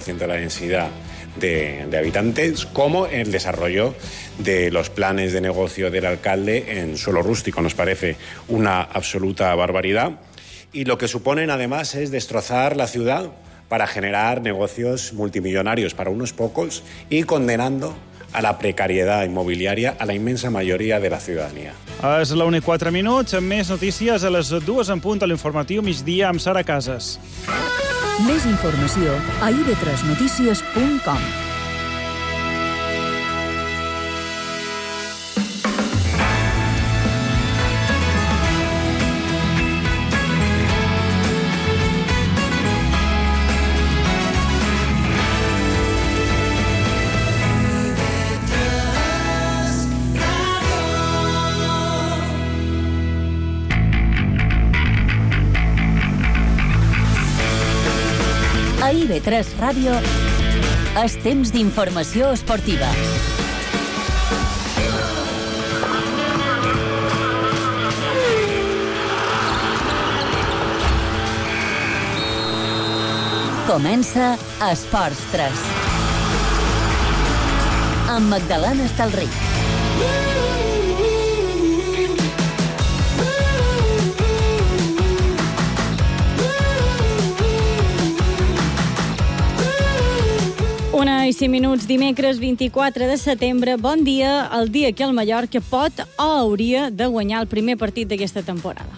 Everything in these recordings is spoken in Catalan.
50% de la densidad de habitantes, como el desarrollo de los planes de negocio del alcalde en suelo rústico. Nos parece una absoluta barbaridad. Y lo que suponen, además, es destrozar la ciudad para generar negocios multimillonarios para unos pocos y condenando a la precariedad immobiliària a la immensa majoria de la ciutadania. És la 1:04, amb més notícies a les 2 en punt a l'informatiu migdia amb Sara Casas. Més informació a ib3notícies.com. A IB3 Ràdio és temps d'informació esportiva. Comença Esports 3. Amb Magdalena Estalric. Una i 5 minuts, dimecres 24 de setembre. Bon dia, el dia que el Mallorca pot o hauria de guanyar el primer partit d'aquesta temporada.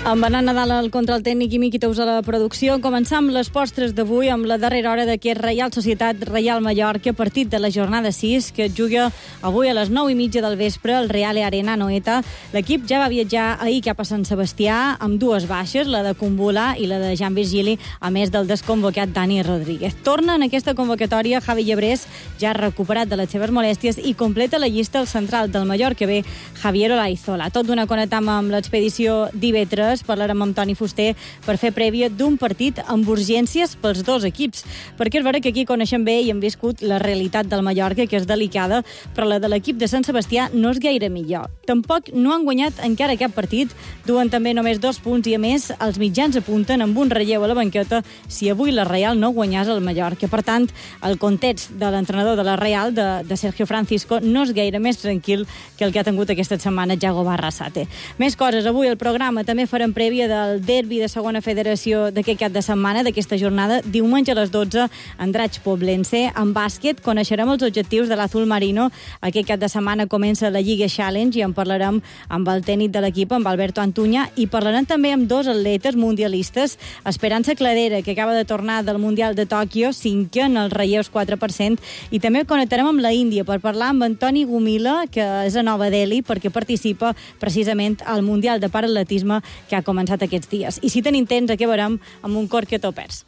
Amb Anna Nadal al control tècnic i Miqui Tous a la producció, començam les postres d'avui amb la darrera hora d'aquest Reial Societat Reial Mallorca, partit de la jornada 6, que es juga avui a les 9:30 del vespre al Real Arena Anoeta. L'equip ja va viatjar ahir cap a Sant Sebastià amb dues baixes, la de Kumbula i la de Jan Virgili, a més del desconvocat Dani Rodríguez. Torna en aquesta convocatòria Javi Llebrés, ja recuperat de les seves molèsties, i completa la llista el central del Mallorca B, Javier Olaizola. Tot d'una conetam amb l'expedició d'IB3. Parlarem amb Toni Fuster per fer prèvia d'un partit amb urgències pels dos equips, perquè és vera que aquí coneixem bé i hem viscut la realitat del Mallorca, que és delicada, però la de l'equip de Sant Sebastià no és gaire millor. Tampoc no han guanyat encara cap partit, duen també només 2 punts i, a més, els mitjans apunten amb un relleu a la banqueta si avui la Real no guanyàs el Mallorca. Per tant, el context de l'entrenador de la Real, de Sergio Francisco, no és gaire més tranquil que el que ha tingut aquesta setmana Yago Barrasate. Més coses avui al programa. També farem prèvia del derbi de segona federació d'aquest cap de setmana, d'aquesta jornada. Diumenge a les 12, Andratx Poblense. En bàsquet coneixerem els objectius de l'Azul Marino. Aquest cap de setmana comença la Lliga Challenge i en parlarem amb el tècnic de l'equip, amb Alberto Antuña, i parlarem també amb dos atletes mundialistes. Esperança Cladera, que acaba de tornar del Mundial de Tòquio, 5è en els relleus 4%, i també connectarem amb la Índia per parlar amb Antoni Gumila, que és a Nova Delhi, perquè participa precisament al Mundial de Paratletisme que ha començat aquests dies. I si tenim temps, acabarem amb un cor que t'ho perds.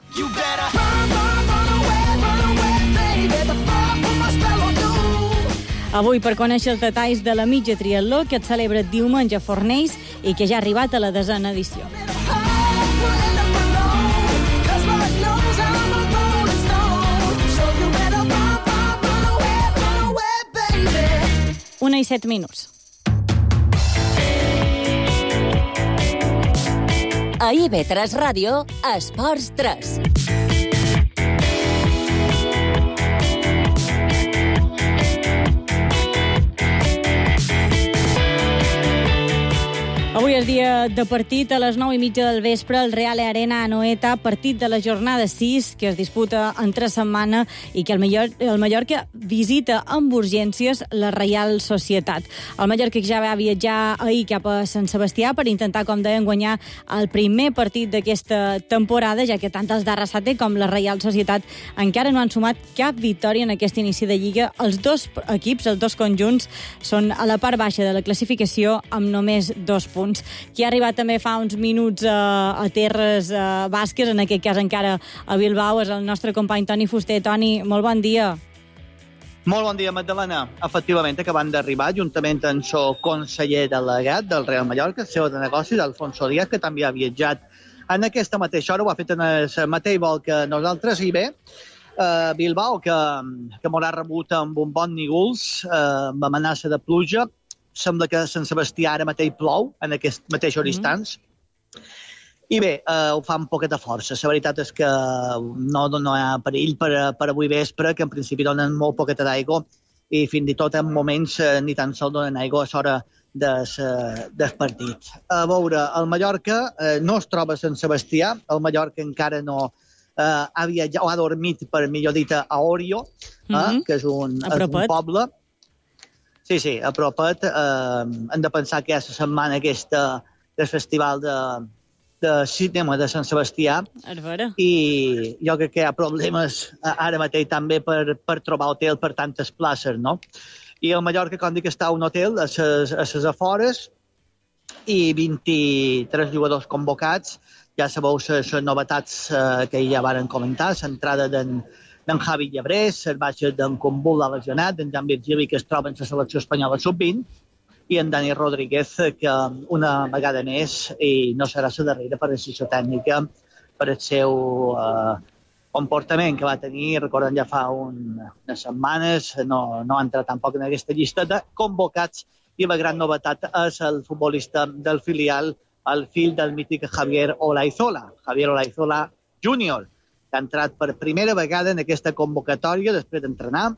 Avui, per conèixer els detalls de la mitja triatló que es celebra diumenge a Fornells i que ja ha arribat a la 10a edició. Una i 7 minuts. A IB3 Ràdio, Esports 3. Avui és dia de partit a les 9:30 del vespre al Real Arena Anoeta, partit de la jornada 6 que es disputa entre setmana i que el Mallorca visita amb urgències la Reial Societat. El Mallorca ja va viatjar ahir cap a Sant Sebastià per intentar, com deien, guanyar el primer partit d'aquesta temporada, ja que tant els d'Arrasate com la Reial Societat encara no han sumat cap victòria en aquest inici de Lliga. Els dos equips, els dos conjunts, són a la part baixa de la classificació amb només 2 punts. Qui ha arribat també fa uns minuts a terres basques, en aquest cas encara a Bilbao, és el nostre company Toni Fuster. Toni, molt bon dia. Molt bon dia, Magdalena. Efectivament, acabant d'arribar, juntament amb el conseller delegat del Real Mallorca, CEO de negocis, Alfonso Díaz, que també ha viatjat en aquesta mateixa hora, ho ha fet en el mateix vol que nosaltres, i bé, Bilbao, que m'haurà rebut amb un bon nígols, amb amenaça de pluja. Sembla que a Sant Sebastià ara mateix plou, en aquests mateixos instants. I bé, ho fa amb poqueta força. La veritat és que no hi ha perill per avui vespre, que en principi donen molt poqueta d'aigua i fins i tot en moments ni tan sols donen aigua a l'hora del partit. A veure, el Mallorca no es troba a Sant Sebastià, el Mallorca encara no ha viatjat o ha dormit, per millor dit, a Orio, que és un poble. Sí, a propet. Hem de pensar que hi ha la setmana aquesta del festival de cinema de Sant Sebastià i jo crec que hi ha problemes ara mateix també per trobar hotel per tantes places, no? I el Mallorca, com dic, està a un hotel a les afores i 23 jugadors convocats. Ja sabeu les novetats que ja varen comentar, l'entrada d'en Javi Llebrés, les baixes d'en Kumbula lesionat, d'en Jan Virgili, que es troba en la selecció espanyola sub-20, i en Dani Rodríguez, que una vegada més, i no serà la darrera per decisió tècnica, per el seu comportament que va tenir, recordem ja fa unes setmanes, no ha entrat tampoc en aquesta llista de convocats, i la gran novetat és el futbolista del filial, el fill del mític Javier Olaizola Júnior, que ha entrat per primera vegada en aquesta convocatòria després d'entrenar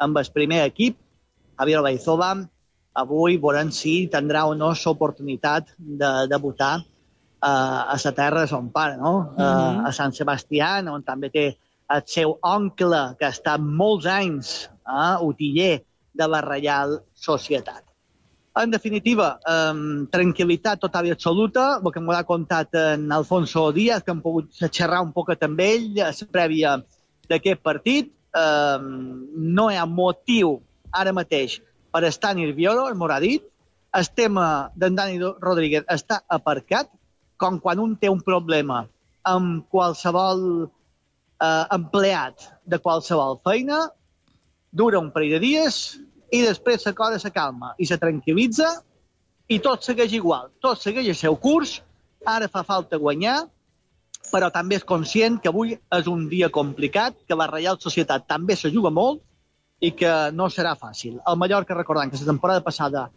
amb el primer equip. Javier Olaizola avui veurem si tindrà o no l'oportunitat de debutar a la terra de son pare, no? A Sant Sebastià, on també té el seu oncle, que ha estat molts anys utiller de la Reial Societat. En definitiva, tranquil·litat total i absoluta, el que m'ho ha contat en Alfonso Díaz, que hem pogut xerrar un poc amb ell a la prèvia d'aquest partit. No hi ha motiu ara mateix per estar nervioso, m'ho ha dit. El tema d'en Dani Rodríguez està aparcat, com quan un té un problema amb qualsevol empleat de qualsevol feina, dura un parell de dies i després la cosa se calma i se tranquil·litza i tot segueix igual, tot segueix el seu curs. Ara fa falta guanyar, però també és conscient que avui és un dia complicat, que la Reial Societat també se juga molt i que no serà fàcil. El Mallorca, recordant que la temporada passada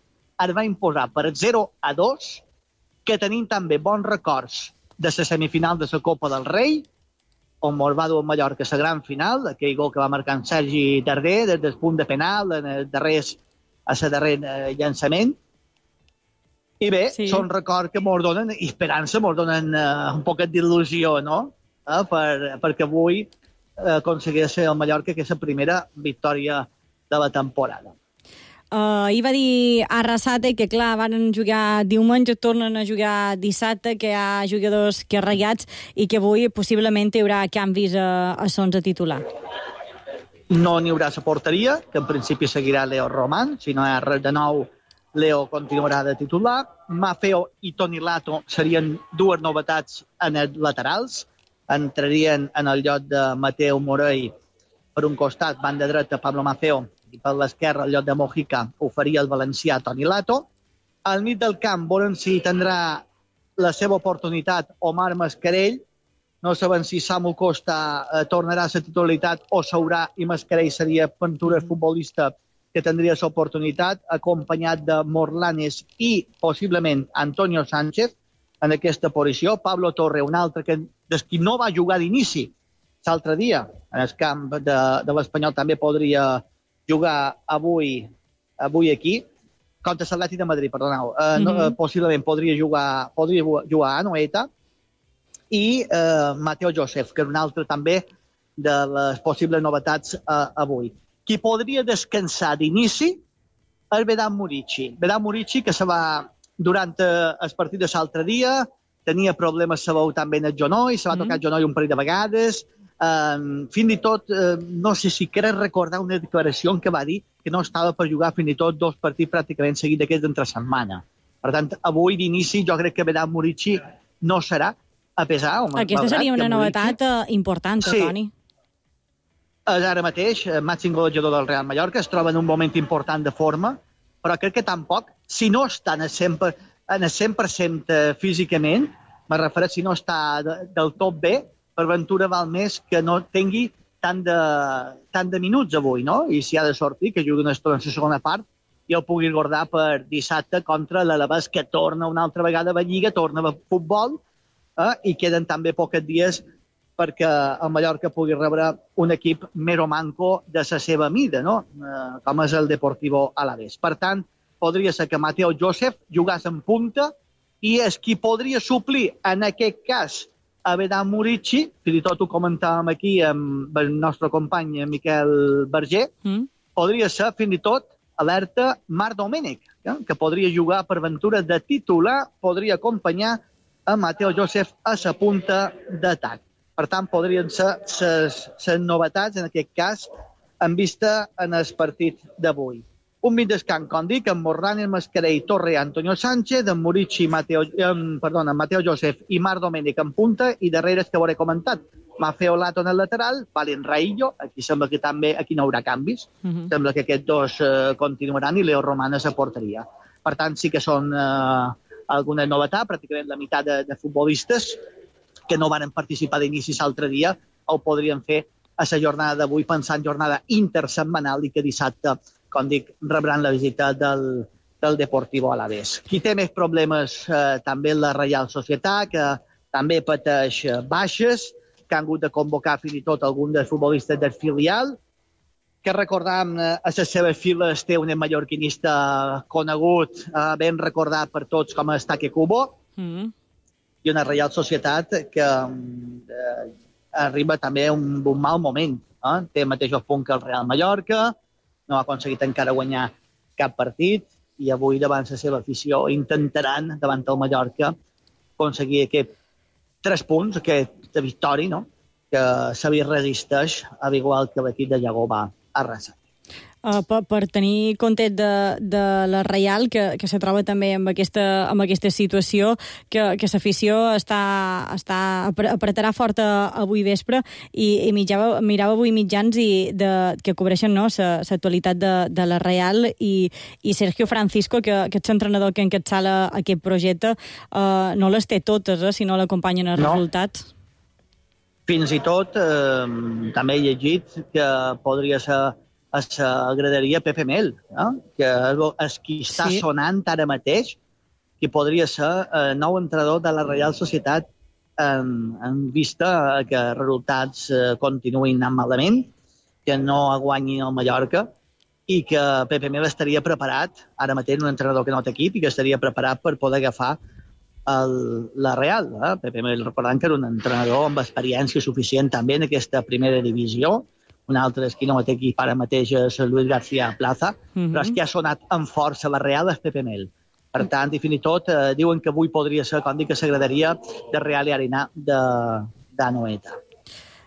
es va imposar per 0-2, que tenim també bons records de la semifinal de la Copa del Rei, on ens va dur el Mallorca a la gran final, aquell gol que va marcar en Sergi Darder des del punt de penal, en el darrer llançament. I bé, són records que ens donen esperança, ens donen un poquet d'il·lusió, no? Perquè avui aconsegueix el Mallorca que és la primera victòria de la temporada. Ahir va dir Arrasate que, clar, van jugar diumenge, tornen a jugar dissabte, que hi ha jugadors que reiats i que avui possiblement hi haurà canvis a l'11 titular. No n'hi haurà a la porteria, que en principi seguirà Leo Román. Si no hi ha res de nou, Leo continuarà de titular. Maffeo i Toni Lato serien dues novetats en els laterals. Entrarien en el lloc de Mateu Morell per un costat, banda dreta Pablo Maffeo, i per l'esquerra, al lloc de Mojica, ho faria el valencià Toni Lato. Al mig del camp veurem si tindrà la seva oportunitat Omar Mascarell. No sabem si Samu Costa tornarà a la titularitat o s'haurà i Mascarell seria Ventura futbolista que tindria l'oportunitat, acompanyat de Morlanes i possiblement Antonio Sánchez en aquesta posició. Pablo Torre, un altre des qui no va jugar d'inici l'altre dia en el camp de l'Espanyol, també podria jugar avui aquí, contra l'Atlètic de Madrid, perdoneu. Possiblement podria jugar a Anoeta, i Mateo Joseph, que és un altre també de les possibles novetats avui. Qui podria descansar d'inici és Vedat Murici. Vedat Murici, que se va durant el partit de l'altre dia, tenia problemes, sabeu, també en el genoll, se va tocar el genoll un parell de vegades. Fins i tot, no sé si crec recordar una declaració en què va dir que no estava per jugar fins i tot 2 partits pràcticament seguits d'aquests d'entre setmana. Per tant, avui d'inici jo crec que Vedat Murici no serà, a pesar... Aquesta seria una novetat important, Toni. És ara mateix màxim golejador del Real Mallorca, es troba en un moment important de forma, però crec que tampoc, si no està en el 100% físicament, me refereixo si no està del tot bé, per Ventura val més que no tingui tant de minuts avui, no? I si ha de sortir, que jugui una estona en la segona part i el pugui guardar per dissabte contra l'Alavés, que torna una altra vegada a la Lliga, torna a futbol i queden també pocs dies perquè el Mallorca pugui rebre un equip més o manco de la seva mida, no? Com és el Deportivo Alavés. Per tant, podria ser que Mateo Joseph jugàs en punta i és qui podria suplir, en aquest cas, a Vedan Murici, fins i tot ho comentàvem aquí amb el nostre company Miquel Berger, podria ser fins i tot alerta Marc Domènech, que podria jugar per aventura de titular, podria acompanyar a Mateo Joseph a la punta d'atac. Per tant, podrien ser les novetats, en aquest cas, en vista en el partit d'avui. Un mig descans, com dic, amb Morranes, Mascarell, Torre i Antonio Sánchez, amb Murici, Mateo Joseph i Marc Domènech en punta, i darrere és que hauré comentat. Mafeo Lato en el lateral, Valen Raillo, aquí sembla que també aquí no haurà canvis, sembla que aquests dos continuaran, i Leo Romanes a porteria. Per tant, sí que són alguna novetat, pràcticament la meitat de futbolistes que no van participar d'inici l'altre dia, ho podrien fer a la jornada d'avui, pensant jornada intersetmanal i que dissabte, com dic, rebran la visita del Deportivo Alavés. Qui té més problemes també la Reial Societat, que també pateix baixes, que han hagut de convocar fins i tot algun dels futbolistes del filial, que recordam a les seves files té un mallorquinista conegut, ben recordat per tots com és Take Kubo, i una Reial Societat que arriba també a un mal moment. Té el mateix punt que el Real Mallorca, no ha aconseguit encara guanyar cap partit, i avui davant la seva afició intentaran, davant el Mallorca, aconseguir aquests 3 punts, aquesta victòria, no? Que se li resisteix, al igual que l'equip de Llagó va arrasar. Per tenir compte de la Reial, que se troba també amb aquesta situació, que l'afició apretarà fort avui vespre, i mirava avui mitjans que cobreixen l'actualitat de la Reial, i Sergio Francisco, que és l'entrenador que encapçala aquest projecte, no les té totes, si no l'acompanyen els resultats. Fins i tot també he llegit que podria ser a la graderia Pepe Mel, que és qui està sonant ara mateix, que podria ser el nou entrenador de la Reial Societat en vista que els resultats continuïn anant malament, que no guanyin el Mallorca, i que Pepe Mel estaria preparat, ara mateix un entrenador que no té equip, i que estaria preparat per poder agafar la Real. Pepe Mel, recordant que era un entrenador amb experiència suficient també en aquesta primera divisió. Un altre és qui no té equip ara mateix és Luis García Plaza, però és que ha sonat amb força la Real és Pepe Mel. Per tant, i fins i tot diuen que avui podria ser, com dic, que s'agradaria de Real i Arenar d'Anoeta.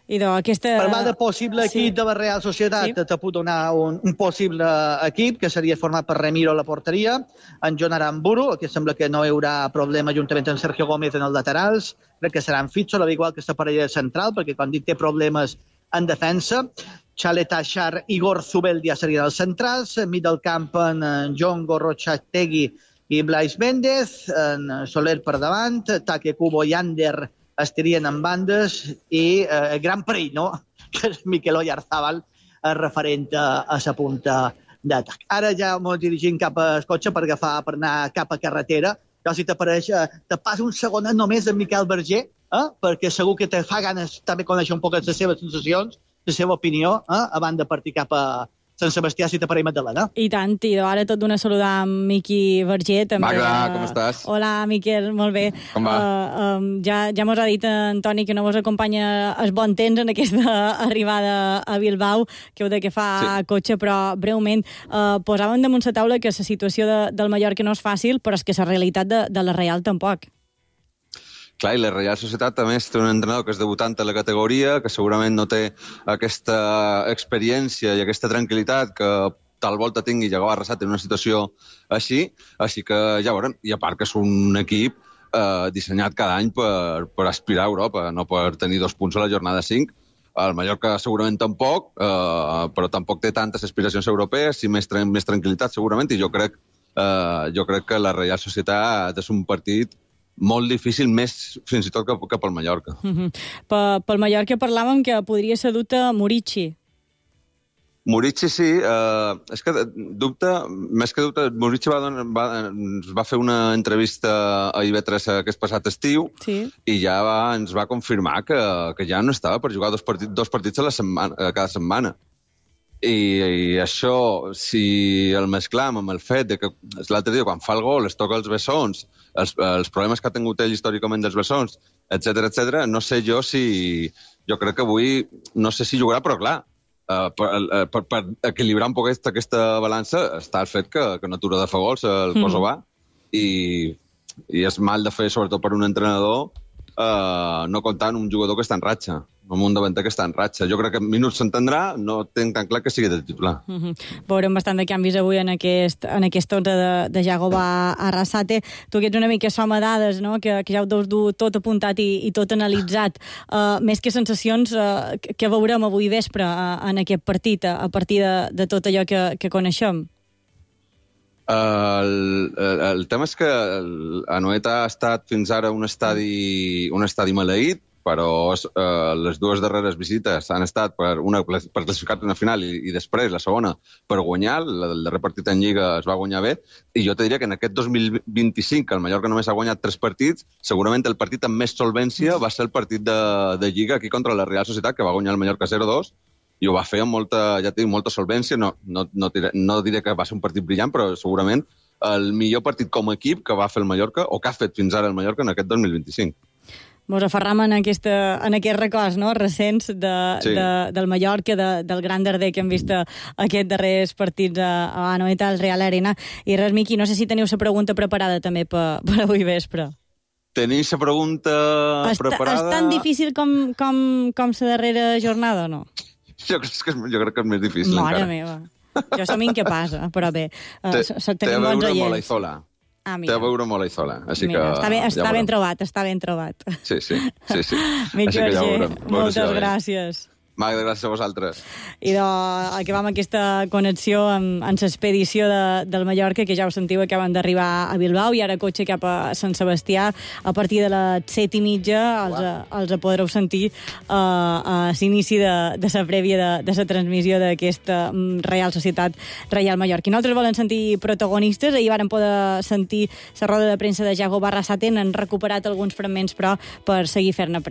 Per de possible equip de la Real Societat, te puc donar un possible equip, que seria format per Remiro a la porteria, en John Aramburu, que sembla que no hi haurà problema juntament amb Sergio Gómez en els laterals, crec que serà en Fitzo, igual que la parella central, perquè quan dic té problemes en defensa, Chalet Achar i Igor Zubeldia serien els centrals, mig del camp en John Gorrochategui i Blaise Méndez, en Soler per davant, Take Kubo i Ander estarien en bandes, i el gran perill, no?, que és Miquel Oyarzábal, referent a la punta d'atac. Ara ja ens dirigim cap al cotxe per anar cap a carretera. Jo, si t'apareix, te passo un segonet només amb Miquel Berger, perquè segur que te fa ganes també conèixer un poc les seves sensacions, la seva opinió, abans de partir cap a Sant Sebastià, si t'apareix Magdalena. I tant, i ara tot d'una saludar amb Miqui Berger. Magda, com estàs? Hola, Miquel, molt bé. Com va? Ja mos ha dit Antoni que no mos acompanya el bon temps en aquesta arribada a Bilbao, que heu de que fa cotxe, però breument posàvem damunt la taula que la situació del Mallorca no és fàcil, però és que la realitat de la Real tampoc. Clar, i la Reial Societat també té un entrenador que és debutant a la categoria, que segurament no té aquesta experiència i aquesta tranquil·litat que tal volta tingui Llagó Arrasat en una situació així que ja veurem. I a part que és un equip dissenyat cada any per aspirar a Europa, no per tenir 2 punts a la jornada 5. El Mallorca segurament tampoc, però tampoc té tantes aspiracions europees, i més tranquil·litat segurament, i jo crec que la Reial Societat és un partit molt difícil, més fins i tot que pel Mallorca. Pel Mallorca parlàvem que podria ser dut a Murici. Murici sí, és que més que dubte, Murici ens va fer una entrevista a IB3 aquest passat estiu i ja ens va confirmar que ja no estava per jugar dos partits a la setmana, cada setmana. I això, si el mesclam amb el fet de que l'altre dia, quan fa el gol, es toca els bessons, els problemes que ha tingut ell històricament dels bessons, etc, no sé jo si... Jo crec que avui, no sé si jugarà, però clar, per equilibrar un poc aquesta balança està el fet que no atura de fer gols el Kosovà i és mal de fer, sobretot per un entrenador, no comptar amb un jugador que està en ratxa, amb un davanter que està en ratxa. Jo crec que en minuts s'entendrà, no tinc tan clar que sigui de titular. Veurem bastant de canvis avui en aquest 11 de Jagoba Arrasate. Tu que ets una mica soma dades, no? Que ja ho deus dur tot apuntat i tot analitzat. Més que sensacions, que veurem avui vespre en aquest partit, a partir de tot allò que coneixem? El tema és que Anoeta ha estat fins ara un estadi maleït, però les dues darreres visites han estat una per classificar-te una final i després la segona per guanyar. El darrer partit en Lliga es va guanyar bé. I jo te diria que en aquest 2025, que el Mallorca només ha guanyat 3 partits, segurament el partit amb més solvència va ser el partit de Lliga aquí contra la Real Societat, que va guanyar el Mallorca 0-2, i ho va fer amb molta solvència. No diré que va ser un partit brillant, però segurament el millor partit com a equip que va fer el Mallorca, o que ha fet fins ara el Mallorca en aquest 2025. Mos aferram en aquests records, no?, recents del Mallorca, del Gran Darder que hem vist aquests darrers partits a Anoeta, al Real Arena. I res, Miqui, no sé si teniu la pregunta preparada també per avui vespre. Tenim la pregunta preparada... És tan difícil com la darrera jornada o no? Jo crec que és més difícil encara. Mare meva. Jo som incapaç, però bé. Tenim bons oients. Té a veure molt a Izola. Té a veure molt a Izola. Està ben trobat, està ben trobat. Sí. Miqui Verger, moltes gràcies. Magda, gràcies a vosaltres. I acabam aquesta connexió amb l'expedició del Mallorca, que ja ho sentiu, acaben d'arribar a Bilbao i ara cotxe cap a Sant Sebastià. A partir de les 7:30 els podreu sentir a l'inici de la prèvia de la transmissió d'aquesta Real Societat Reial Mallorca. I nosaltres volem sentir protagonistes. Ahir vàrem poder sentir la roda de premsa de Jagoba Arrasate. Han recuperat alguns fragments, però per seguir fent-ne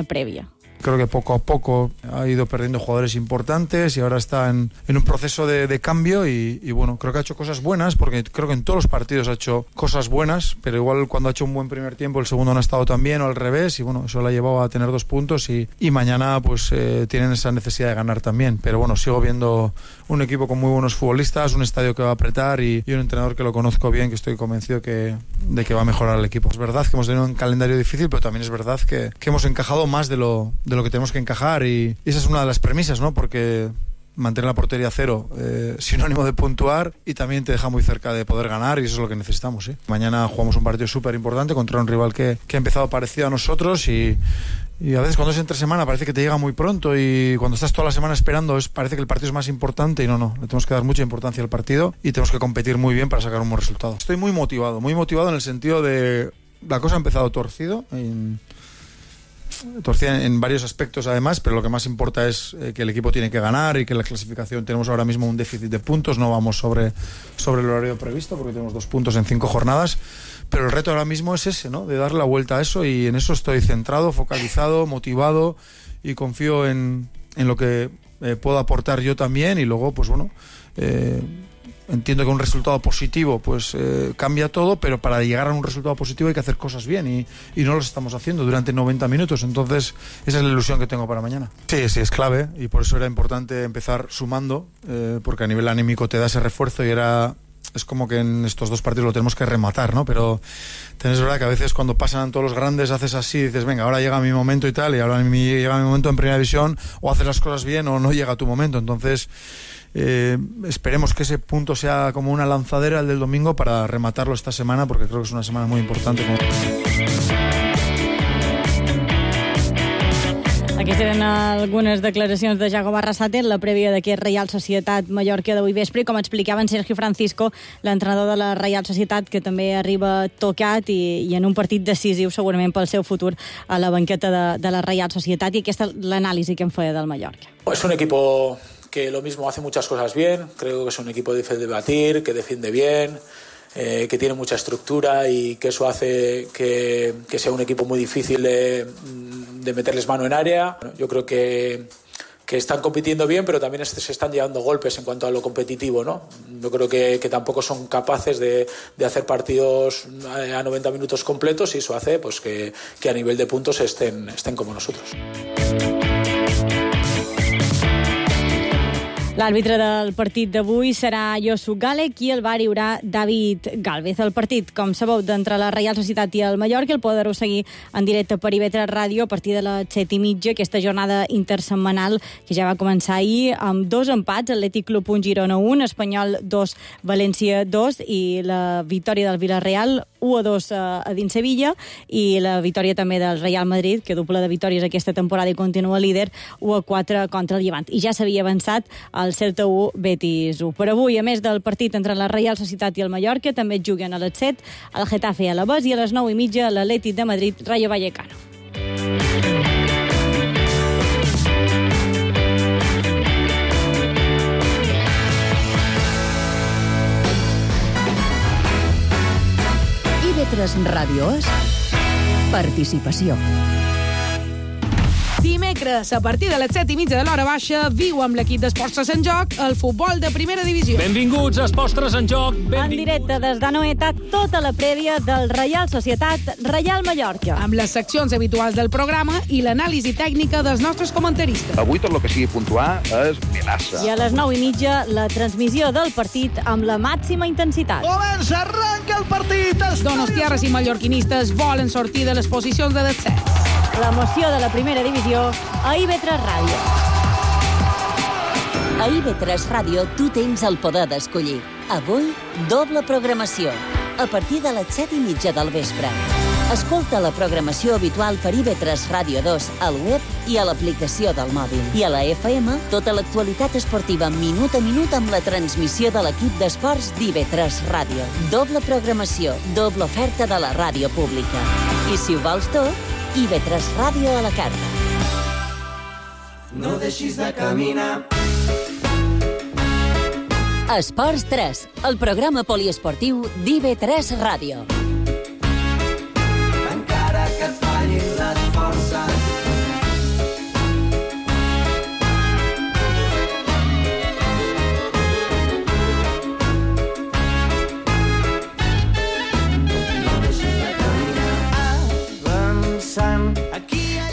prèvia. Creo que poco a poco ha ido perdiendo jugadores importantes y ahora está en un proceso de cambio y bueno, creo que ha hecho cosas buenas, porque creo que en todos los partidos ha hecho cosas buenas, pero igual cuando ha hecho un buen primer tiempo el segundo no ha estado tan bien o al revés, y bueno, eso le ha llevado a tener 2 puntos y mañana pues tienen esa necesidad de ganar también, pero bueno, sigo viendo un equipo con muy buenos futbolistas, un estadio que va a apretar y un entrenador que lo conozco bien, que estoy convencido de que va a mejorar el equipo. Es verdad que hemos tenido un calendario difícil, pero también es verdad que hemos encajado más de lo que tenemos que encajar y esa es una de las premisas, ¿no? Porque mantener la portería cero, sinónimo de puntuar y también te deja muy cerca de poder ganar y eso es lo que necesitamos, ¿sí? Mañana jugamos un partido súper importante contra un rival que ha empezado parecido a nosotros y a veces cuando es entre semana parece que te llega muy pronto y cuando estás toda la semana esperando parece que el partido es más importante y no, le tenemos que dar mucha importancia al partido y tenemos que competir muy bien para sacar un buen resultado. Estoy muy motivado en el sentido de la cosa ha empezado torcida en varios aspectos además, pero lo que más importa es que el equipo tiene que ganar y que la clasificación tenemos ahora mismo un déficit de puntos, no vamos sobre el horario previsto porque tenemos 2 puntos en 5 jornadas, pero el reto ahora mismo es ese, ¿no? De darle la vuelta a eso y en eso estoy centrado, focalizado, motivado y confío en lo que puedo aportar yo también y luego pues bueno, entiendo que un resultado positivo pues cambia todo, pero para llegar a un resultado positivo hay que hacer cosas bien y no lo estamos haciendo durante 90 minutos, entonces esa es la ilusión que tengo para mañana. Sí, es clave y por eso era importante empezar sumando, porque a nivel anímico te da ese refuerzo y es como que en estos 2 partidos lo tenemos que rematar, ¿no? Pero es verdad que a veces cuando pasan todos los grandes haces así, dices, venga, ahora llega mi momento y tal, y ahora llega mi momento en primera división, o haces las cosas bien o no llega tu momento, entonces esperemos que ese punto sea como una lanzadera el del domingo para rematarlo esta semana, porque creo que es una semana muy importante. Aquestes eren algunes declaracions de Jagoba Arrasate en la prèvia d'aquest Reial Societat Mallorca d'avui vespre. Com explicava en Sergio Francisco, l'entrenador de la Reial Societat, que també arriba tocat i en un partit decisiu segurament pel seu futur a la banqueta de la Reial Societat, i aquesta és l'anàlisi que en feia del Mallorca. Es un equipo que lo mismo hace muchas cosas bien. Creo que es un equipo difícil de batir, que defiende bien, que tiene mucha estructura y que eso hace que sea un equipo muy difícil de meterles mano en área. Yo creo que están compitiendo bien, pero también se están llevando golpes en cuanto a lo competitivo, ¿no? Yo creo que tampoco son capaces de hacer partidos a 90 minutos completos, y eso hace pues que a nivel de puntos estén como nosotros. L'àrbitre del partit d'avui serà Josu Galek i el VAR hi haurà David Gálvez. El partit, com sabeu, d'entre la Reial Societat i el Mallorca el podreu seguir en directe per IB3 Ràdio a partir de les 7:30, aquesta jornada intersetmanal que ja va començar ahir amb 2 empats, Atlètic Club 1, Girona 1, Espanyol 2, València 2, i la victòria del Villarreal 1-2 a dins Sevilla, i la victòria també del Real Madrid, que doble de victòries aquesta temporada i continua líder, 1-4 contra el Llevant. I ja s'havia avançat el Celta 1, Betis 1. Per avui, a més del partit entre la Reial Societat i el Mallorca, també juguen a les 7 el Getafe i Alavés, i a les 9:30 l'Atlètic de Madrid, Rayo Vallecano. IB3 Ràdio és participació. Dimecres, a partir de les 7:30 de l'hora baixa, viu amb l'equip d'Esports 3 en joc el futbol de primera divisió. Benvinguts a Esports 3 en joc. En directe des d'Anoeta, tota la prèvia del Reial Societat Reial Mallorca. Amb les seccions habituals del programa i l'anàlisi tècnica dels nostres comentaristes. Avui tot el que sigui puntuar és melaça. I a les 9:30, la transmissió del partit amb la màxima intensitat. Comença, arranca el partit! Donostiarres i mallorquinistes volen sortir de les posicions de descens. L'emoció de la primera divisió a IB3 Ràdio. A IB3 Ràdio tu tens el poder d'escollir. Avui, doble programació. A partir de les 7:30 del vespre. Escolta la programació habitual per IB3 Ràdio 2 al web i a l'aplicació del mòbil. I a la FM, tota l'actualitat esportiva minut a minut amb la transmissió de l'equip d'esports d'IB3 Ràdio. Doble programació, doble oferta de la ràdio pública. I si ho vols tot, IB3 Ràdio a la carta. No deixis de caminar. Esports 3, el programa poliesportiu d'IB3 Ràdio. Encara que et fallin les forces.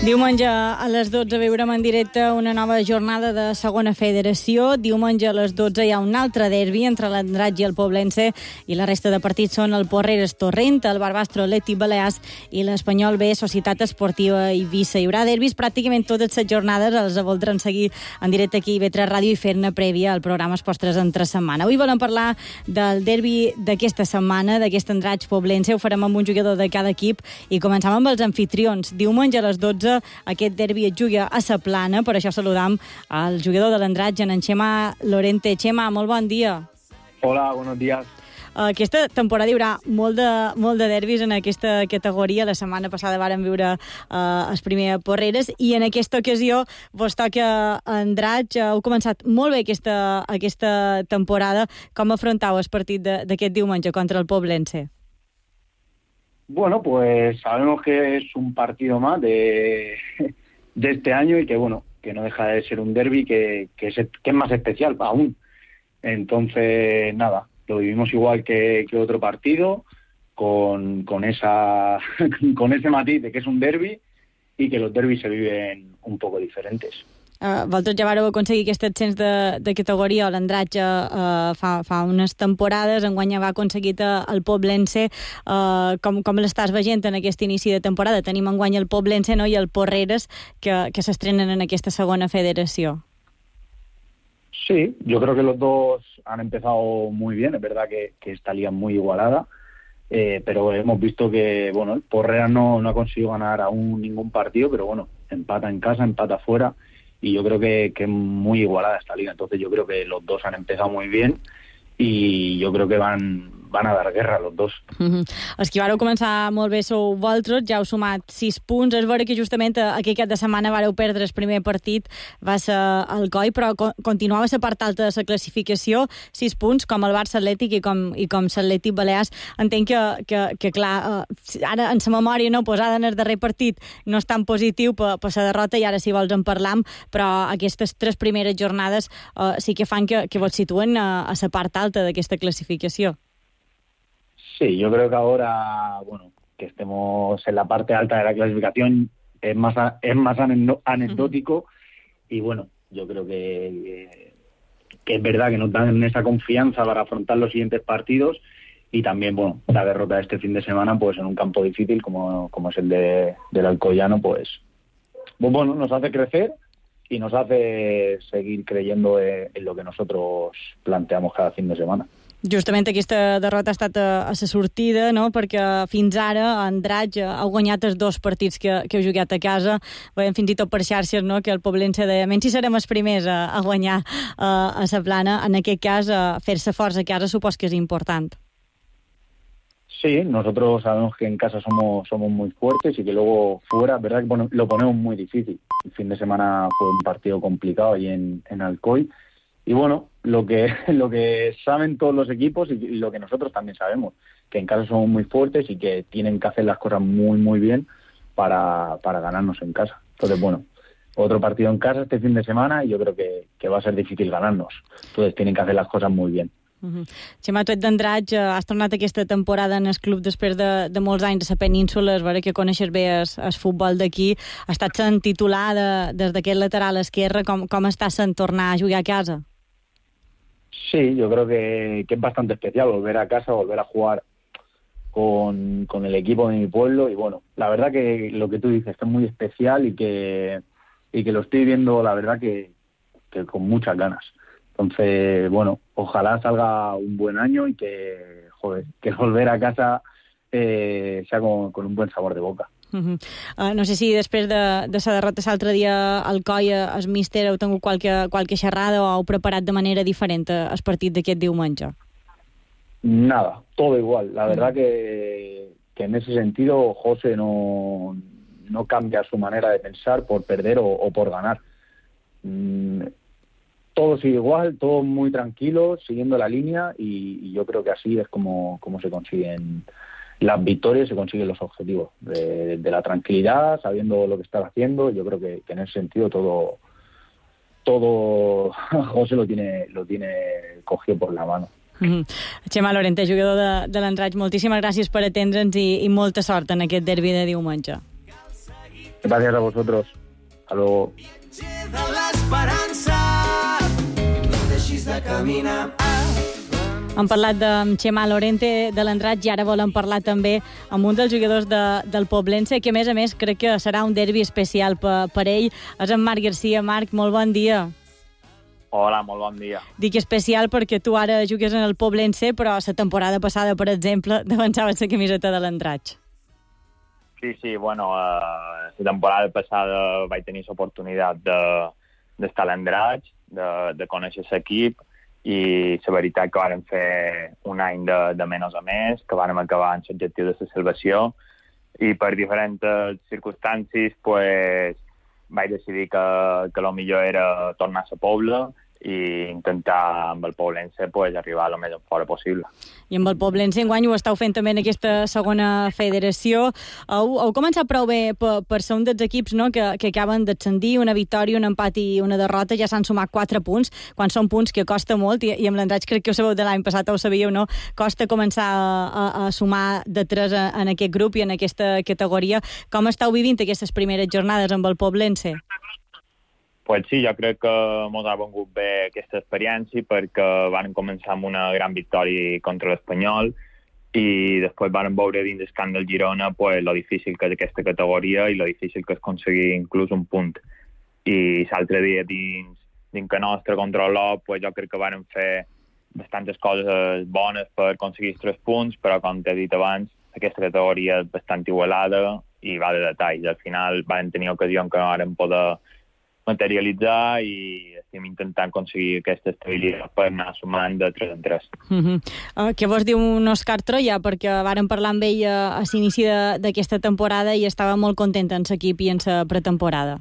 Diumenge a les 12 veurem en directe una nova jornada de segona federació. Diumenge a les 12 hi ha un altre derbi entre l'Andratx i el Poblense, i la resta de partits són el Porreres Torrent, el Barbastro Atlètic Balears i l'Espanyol B Societat Esportiva Eivissa. Hi haurà derbis pràcticament totes les jornades, els voldran seguir en directe aquí a IB3 Ràdio i fer-ne prèvia al programa Esports 3 entre setmana. Avui volem parlar del derbi d'aquesta setmana, d'aquest Andratx Poblense. Ho farem amb un jugador de cada equip i començam amb els anfitrions. Diumenge a les 12 aquest derbi es juga a Sa Plana, per això saludam al jugador de l'Andratx, en Chema Lorente. Chema, molt bon dia. Hola, buenos días. Aquesta temporada hi haurà molt de derbis en aquesta categoria. La setmana passada vàrem viure els primers Porreres, i en aquesta ocasió vos toca Andratx. Heu començat molt bé aquesta temporada. Com afrontau el partit d'aquest diumenge contra el Poblense? Bueno, pues sabemos que es un partido más de este año y que, bueno, que no deja de ser un derbi que es más especial aún. Entonces, nada, lo vivimos igual que otro partido, con ese matiz de que es un derbi y que los derbis se viven un poco diferentes. Vosaltres ja vareu aconseguir aquest ascens de categoria. L'Andratx fa unes temporades, enguany va aconseguit el Poblense. Com l'estàs veient en aquest inici de temporada? Tenim enguany el Poblense, no?, i el Porreres, que s'estrenen en aquesta segona federació. Sí, yo creo que los dos han empezado muy bien. Es verdad que esta liga es muy igualada, pero hemos visto que, bueno, el Porreras no ha conseguido ganar aún ningún partido, pero bueno, empata en casa, empata fuera. Y yo creo que es muy igualada esta liga. Entonces yo creo que los dos han empezado muy bien y yo creo que van van a dar guerra los dos. Els que vareu començar molt bé sou vosaltres, ja heu sumat 6 punts. És vera que justament aquell cap de setmana vareu perdre el primer partit, va ser el Coi, però continuava a la part alta de la classificació, 6 punts, com el Barça Atlètic i com l'Atlètic Balears. Entenc que clar, ara en la memòria no posada en el darrer partit no és tan positiu per la derrota, i ara si vols en parlam, però aquestes 3 primeres jornades sí que fan que vos situen a la part alta d'aquesta clasificació. Sí, yo creo que ahora, bueno, que estemos en la parte alta de la clasificación es más anecdótico y bueno, yo creo que es verdad que nos dan esa confianza para afrontar los siguientes partidos y también, bueno, la derrota de este fin de semana, pues en un campo difícil como es el del Alcoyano, pues bueno, nos hace crecer y nos hace seguir creyendo en lo que nosotros planteamos cada fin de semana. Justament aquesta derrota ha estat a la sortida, no? Perquè fins ara Andratx ha guanyat els 2 partits que heu jugat a casa. Veiem fins i tot per xarxes, no?, que el Poblense deia menys si serem els primers a guanyar a la Plana. En aquest cas, fer-se forts a casa supos que és important. Sí, nosotros sabemos que en casa somos muy fuertes y que luego fuera, verdad que lo ponemos muy difícil. El fin de semana fue un partido complicado ahí en Alcoy. Y bueno, lo que saben todos los equipos y lo que nosotros también sabemos, que en casa somos muy fuertes y que tienen que hacer las cosas muy, muy bien para ganarnos en casa. Entonces, bueno, otro partido en casa este fin de semana y yo creo que va a ser difícil ganarnos. Entonces tienen que hacer las cosas muy bien. Xema, tu ets d'Andratx, has tornat aquesta temporada en el club després de molts anys a la península, és vera que coneixes bé el futbol d'aquí, has estat sent titular des d'aquest lateral esquerre, com estàs sent tornar a jugar a casa? Sí, yo creo que es bastante especial volver a casa, volver a jugar con el equipo de mi pueblo y bueno, la verdad que lo que tú dices es muy especial y que lo estoy viendo, la verdad que con muchas ganas. Entonces, bueno, ojalá salga un buen año y que volver a casa sea con un buen sabor de boca. No sé si després de la derrota l'altre dia al Coi, el míster, heu tingut qualque xerrada o heu preparat de manera diferent el partit d'aquest diumenge? Nada, todo igual. La verdad que en ese sentido José no cambia su manera de pensar por perder o por ganar. Todo sigue igual, todo muy tranquilo, siguiendo la línea y yo creo que así es como se consiguen las victorias, se consiguen los objetivos. De la tranquilidad, sabiendo lo que estás haciendo, yo creo que en ese sentido todo José lo tiene cogido por la mano. Xema Lorente, jugador de l'Andratx, moltíssimes gràcies per atendre'ns i molta sort en aquest derbi de diumenge. Gracias a vosotros. Hasta luego. De l'esperança, no deixis de caminar. Hem parlat amb Xema Lorente de l'Andratx i ara volem parlar també amb un dels jugadors del Poblense, que a més crec que serà un derbi especial per ell. És en Marc Garcia. Marc, molt bon dia. Hola, molt bon dia. Dic especial perquè tu ara jugues en el Poblense, però la temporada passada, per exemple, defensaves la camiseta de l'Andratx. Sí, bueno, la temporada passada vaig tenir l'oportunitat d'estar a l'Andratx, de conèixer l'equip, i la veritat que vàrem fer un any de menys a més, que vàrem acabar en l'objectiu de la salvació, i per diferents circumstàncies pues, vaig decidir que el millor era tornar a la Pobla i intentar amb el Poblense pues, arribar el més fora possible. I amb el Poblense enguany ho esteu fent també en aquesta segona federació. Heu començat prou bé per ser un dels equips, no?, que acaben d'ascendir, una victòria, un empat i una derrota, ja s'han sumat 4 punts, quan són punts que costa molt, i amb l'Andratx crec que ho sabeu de l'any passat, ho sabíeu, no? Costa començar a sumar de 3 en aquest grup i en aquesta categoria. Com esteu vivint aquestes primeres jornades amb el Poblense? Pues sí, jo crec que ens ha vengut bé aquesta experiència perquè van començar amb una gran victòria contra l'Espanyol i després van veure dins el camp del Girona pues, lo difícil que és aquesta categoria i lo difícil que és aconseguir inclús un punt. I l'altre dia dins que nostre contra l'Olot pues, jo crec que van fer bastantes coses bones per aconseguir 3 punts, però com t'he dit abans, aquesta categoria és bastant igualada i va de detalls. Al final van tenir ocasions que no van poder materialitzar i estem intentant aconseguir aquesta estabilitat per anar sumant de 3 en 3. Què vos diu un Òscar Troia? Perquè vàrem parlar amb ell a l'inici d'aquesta temporada i estava molt content en l'equip i en la pretemporada.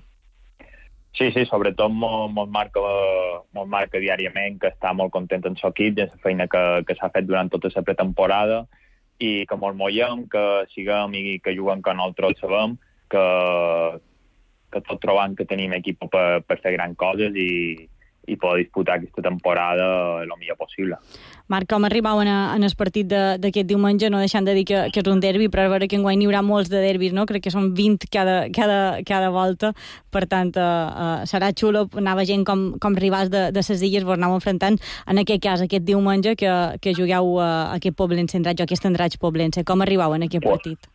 Sí, sobretot molt marca diàriament que està molt content en l'equip i en la feina que s'ha fet durant tota la pretemporada i que molt mollem, que siguem i que juguem que nosaltres sabem, que tot trobant que tenim equip per fer grans coses i poder disputar aquesta temporada el millor possible. Marc, com arribaven en el partit d'aquest diumenge, no deixant de dir que és un derbi, però a veure que enguany n'hi haurà molts de derbis, no? Crec que són 20 cada volta, per tant serà xulo anar veient com rivals de les illes vos aneu enfrontant, en aquest cas, aquest diumenge que jugueu aquest Poblense Andratx o aquest Andratx Poblense. Com arribau en aquest partit?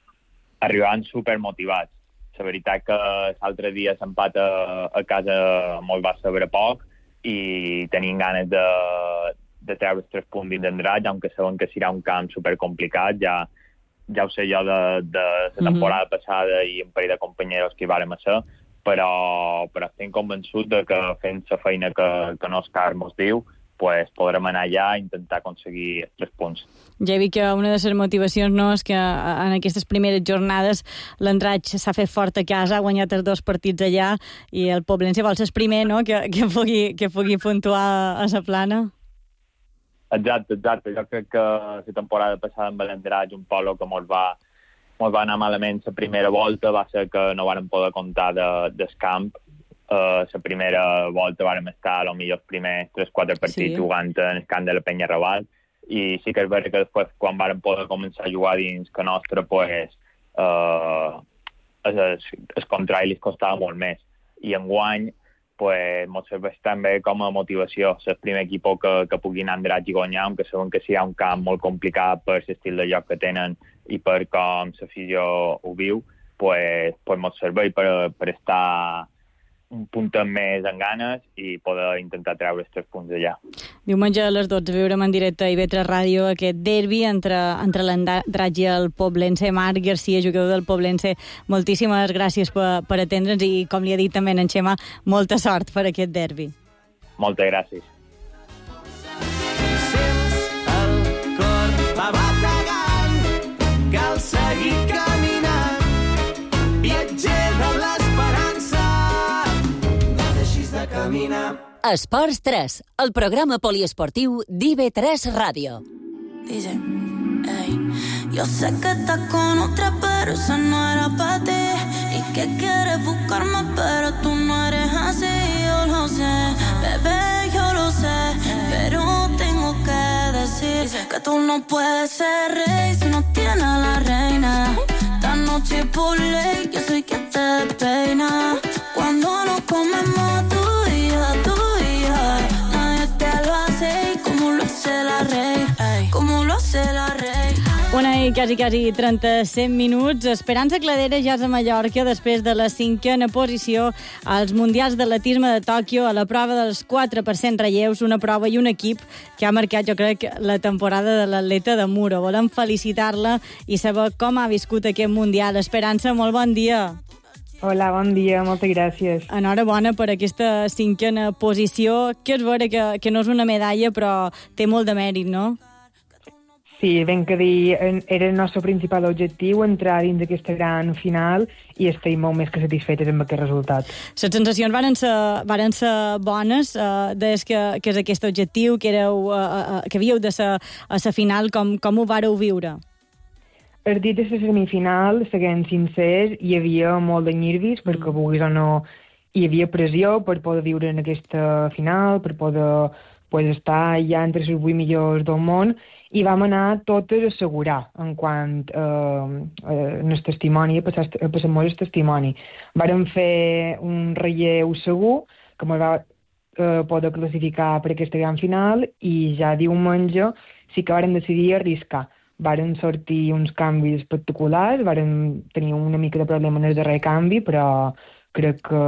Arribaven supermotivats. La veritat que l'altre dia s'empat a casa molt va saber poc i tenim ganes de treure els 3 punts dins d'Andratx, aunque sabem que serà un camp supercomplicat. Ja ho sé jo de la temporada passada i un parell de companyeros que hi vàrem a ser, però estem convençuts de que fent la feina que Òscar mos diu, pues podrem anar allà i intentar aconseguir els 3 punts. Ja he vist que una de les motivacions no és que en aquestes primeres jornades l'Andratx s'ha fet fort a casa, ha guanyat els 2 partits allà i el Poblense vol ser el primer, no?, que pugui puntuar a la plana. Exacte. Jo crec que la temporada passada amb l'Andratx, un polo que mos va anar malament la primera volta, va ser que no vàrem poder comptar del camp. La primera volta vàrem estar a lo millor els primers 3-4 partits jugant en el camp de la Penya Raval i sí que és veritat que després quan vàrem poder començar a jugar dins que nostre pues el contrari li costava molt més i enguany pues mos serveix també com a motivació ser el primer equip que pugui anar a Andratx i guanyar, aunque sabem que serà un camp molt complicat per l'estil de joc que tenen i per com l'afició ho viu, pues mos serveix per estar un punt més en ganes i poder intentar treure els 3 punts d'allà. Diumenge a les 12 veurem en directe a IB3 Ràdio aquest derbi entre l'Andratx i el Poblense. Marc Garcia, jugador del Poblense, moltíssimes gràcies per atendre'ns i, com li ha dit també en Xema, molta sort per aquest derbi. Moltes gràcies. Sents el cor va bategant, cal seguir caminant, viatger de l'esperança, no deixis de caminar. Esports 3, el programa poliesportiu d'IB3 Ràdio. Dice, ey, yo sé que estás con otra, pero esa no era para ti. Y que quieres buscarme, pero tú no eres así. Yo lo sé, bebé, yo lo sé, pero tengo que decir que tú no puedes ser rey si no tienes a la reina. Esta noche por ley, yo soy quien te peina. Cuando nos comemos tú y yo, nadie te lo hace como lo hace la rey, como lo hace la rey. Una i quasi 37 minuts. Esperança Cladera ja és a Mallorca després de la 5a posició als Mundials d'Atletisme de Tòquio a la prova dels 4% relleus, una prova i un equip que ha marcat, jo crec, la temporada de l'atleta de Muro. Volem felicitar-la i saber com ha viscut aquest Mundial. Esperança, molt bon dia. Hola, bon dia, moltes gràcies. Enhorabona per aquesta 5a posició, que és vera que no és una medalla, però té molt de mèrit, no? Sí, ben que dir, era el nostre principal objectiu, entrar dins d'aquesta gran final i estem molt més que satisfetes amb aquest resultat. Les sensacions varen ser bones des que és aquest objectiu, que havíeu de ser a la final, com ho vareu viure? El dit de la semifinal, seguint sincers, hi havia molt de nervis, perquè vulguis o no, hi havia pressió per poder viure en aquesta final, per poder estar ja entre els 8 millors del món, i vam anar totes a assegurar en quant el testimoni, a passar-nos el testimoni. Vàrem fer un relleu segur, que ens va poder classificar per aquesta gran final, i ja diumenge sí que vàrem decidir arriscar. Varen sortir uns canvis espectaculars, varen tenir una mica de problema en el darrer canvi, però crec que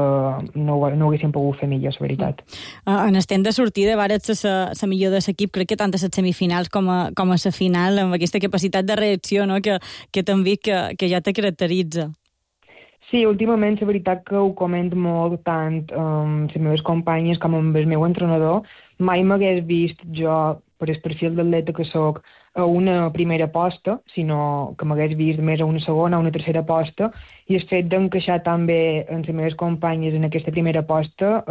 no ho haguéssim pogut fer millor, la veritat. En estem de sortida, vares la millor de l'equip, crec que tant a les semifinals com a la final, amb aquesta capacitat de reacció, no?, que t'han vist que ja te caracteritza. Sí, últimament la veritat que ho comento molt tant amb les meves companyes com amb el meu entrenador. Mai m'hagués vist jo, per el perfil d'atleta que sóc, a una primera posta, sinó que m'hagués vist més a una segona, a una tercera posta, i el fet d'encaixar tan bé amb les meves companyes en aquesta primera posta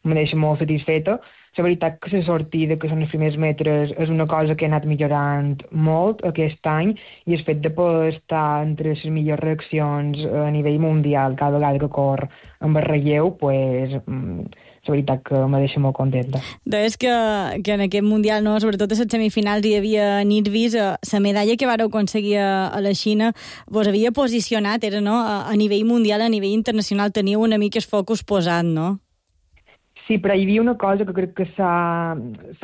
me deixa molt satisfeta. La veritat que la sortida, que són els primers metres, és una cosa que he anat millorant molt aquest any, i el fet de poder estar entre les millors reaccions a nivell mundial cada vegada que corre amb el relleu, pues, la veritat que me deixa molt contenta. Deies que en aquest Mundial, no, sobretot a les semifinals, hi havia Nirvis, la medalla que vareu aconseguir a la Xina vos havia posicionat, era, no, a nivell mundial, a nivell internacional, teniu una mica el focus posat, no? Sí, però hi havia una cosa que crec que s'ha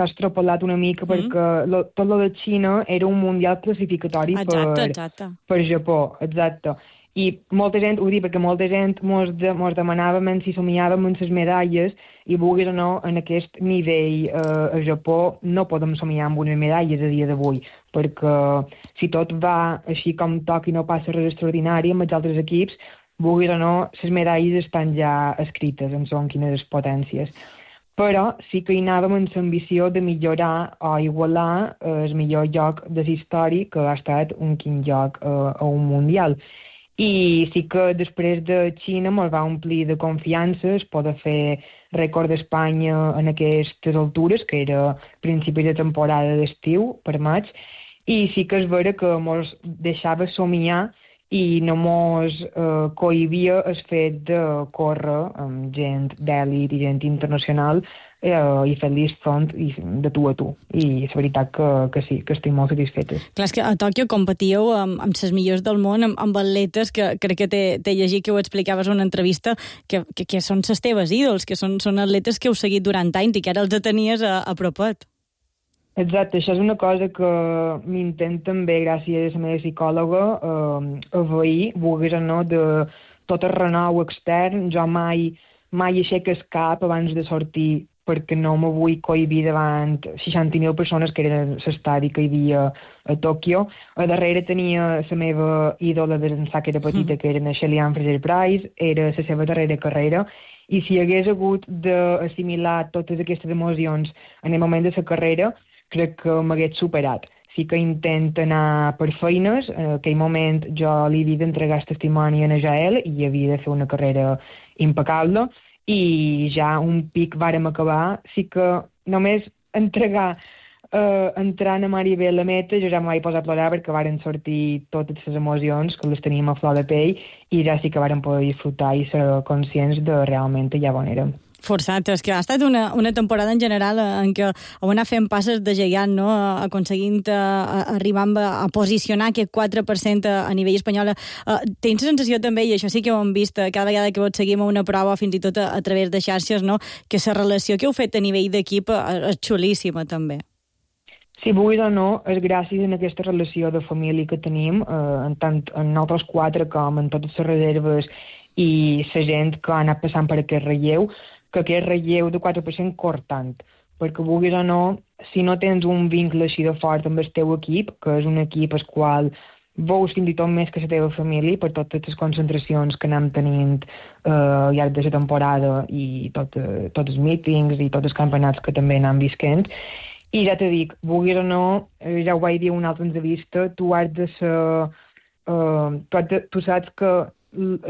extrapolat una mica, perquè tot lo de Xina era un mundial classificatori per Japó, exacte. I molta gent, ho dic perquè molta gent mos demanava si somiàvem en les medalles, i vulguis o no, en aquest nivell a Japó no podem somiar amb unes medalles a dia d'avui, perquè si tot va així com toca i no passa res extraordinari amb els altres equips, vulguis o no, les medalles estan ja escrites en són quines les potències. Però sí que hi anàvem amb l'ambició de millorar o igualar el millor lloc de la història, que ha estat un quin lloc a un mundial. I sí que després de Xina ens va omplir de confiança es poder fer rècord d'Espanya en aquestes altures, que era principi de temporada d'estiu, per maig, i sí que és vera que ens deixava somiar i no mos cohibia el fet de córrer amb gent d'èlit i gent internacional i fer-los front de tu a tu. I és veritat que sí, que estic molt satisfeta. Clar, és que a Tòquio competíeu amb les millors del món, amb atletes que crec que t'he llegit que ho explicaves en una entrevista, que són les teves ídols, que són atletes que heu seguit durant anys i que ara els tenies a propet. Exacte, això és una cosa que m'intent també, gràcies a la meva psicòloga, avair, vulguis o no, de tot el renou extern. Jo mai aixeco el cap abans de sortir, perquè no me vull cohibir davant 60.000 persones, que era l'estadi que hi havia a Tòquio. A darrere tenia la meva ídola des d'ençà que era petita, que era la Shelly-Ann Fraser-Pryce, era la seva darrera carrera, i si hagués hagut d'assimilar totes aquestes emocions en el moment de la carrera, crec que m'hagués superat. Sí que intent anar per feines. En aquell moment jo li havia d'entregar el testimoni a Jael i havia de fer una carrera impecable, i ja un pic vàrem acabar. Sí que només entrant a Maribel a la meta jo ja m'ho vaig posar a plorar, perquè varen sortir totes les emocions, que les teníem a flor de pell, i ja sí que vàrem poder disfrutar i ser conscients de realment allà on érem. Forçat, és que ha estat una temporada en general en què heu anat fent passes de gegant, no? Aconseguint arribar a posicionar aquest 4% a nivell espanyol. Tens la sensació també, i això sí que ho hem vist cada vegada que vos seguim a una prova, fins i tot a través de xarxes, no? Que la relació que heu fet a nivell d'equip és xulíssima també. Si vulguis o no, és gràcies a aquesta relació de família que tenim, tant en nosaltres quatre com en totes les reserves i la gent que ha anat passant per aquest relleu, que aquest relleu de 4% cor tant, perquè vulguis o no, si no tens un vincle així de fort amb el teu equip, que és un equip al qual veus fins i tot més que la teva família, per totes les concentracions que anem tenint al llarg de la temporada i tots els mítings i tots els campionats que també anem visquent. I ja t'he dit, vulguis o no, ja ho vaig dir en una altra entrevista, tu has de ser... tu saps que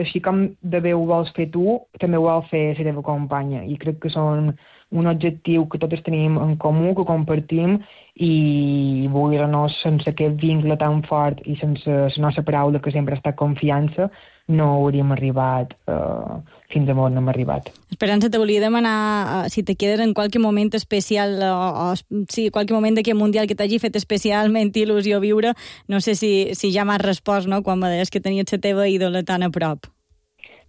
així com de bé ho vols fer tu, també ho vol fer la teva companya, i crec que són un objectiu que tots tenim en comú, que compartim, i vulguis o no, sense aquest vincle tan fort i sense la nostra paraula, que sempre ha estat confiança, no hauríem arribat fins a on hem arribat. Esperança, te volia demanar si te quedes en qualque moment especial o si qualque moment d'aquest Mundial que t'hagi fet especialment il·lusió viure. No sé si ja m'has respost, no?, quan me deies que tenies la teva ídola tan a prop.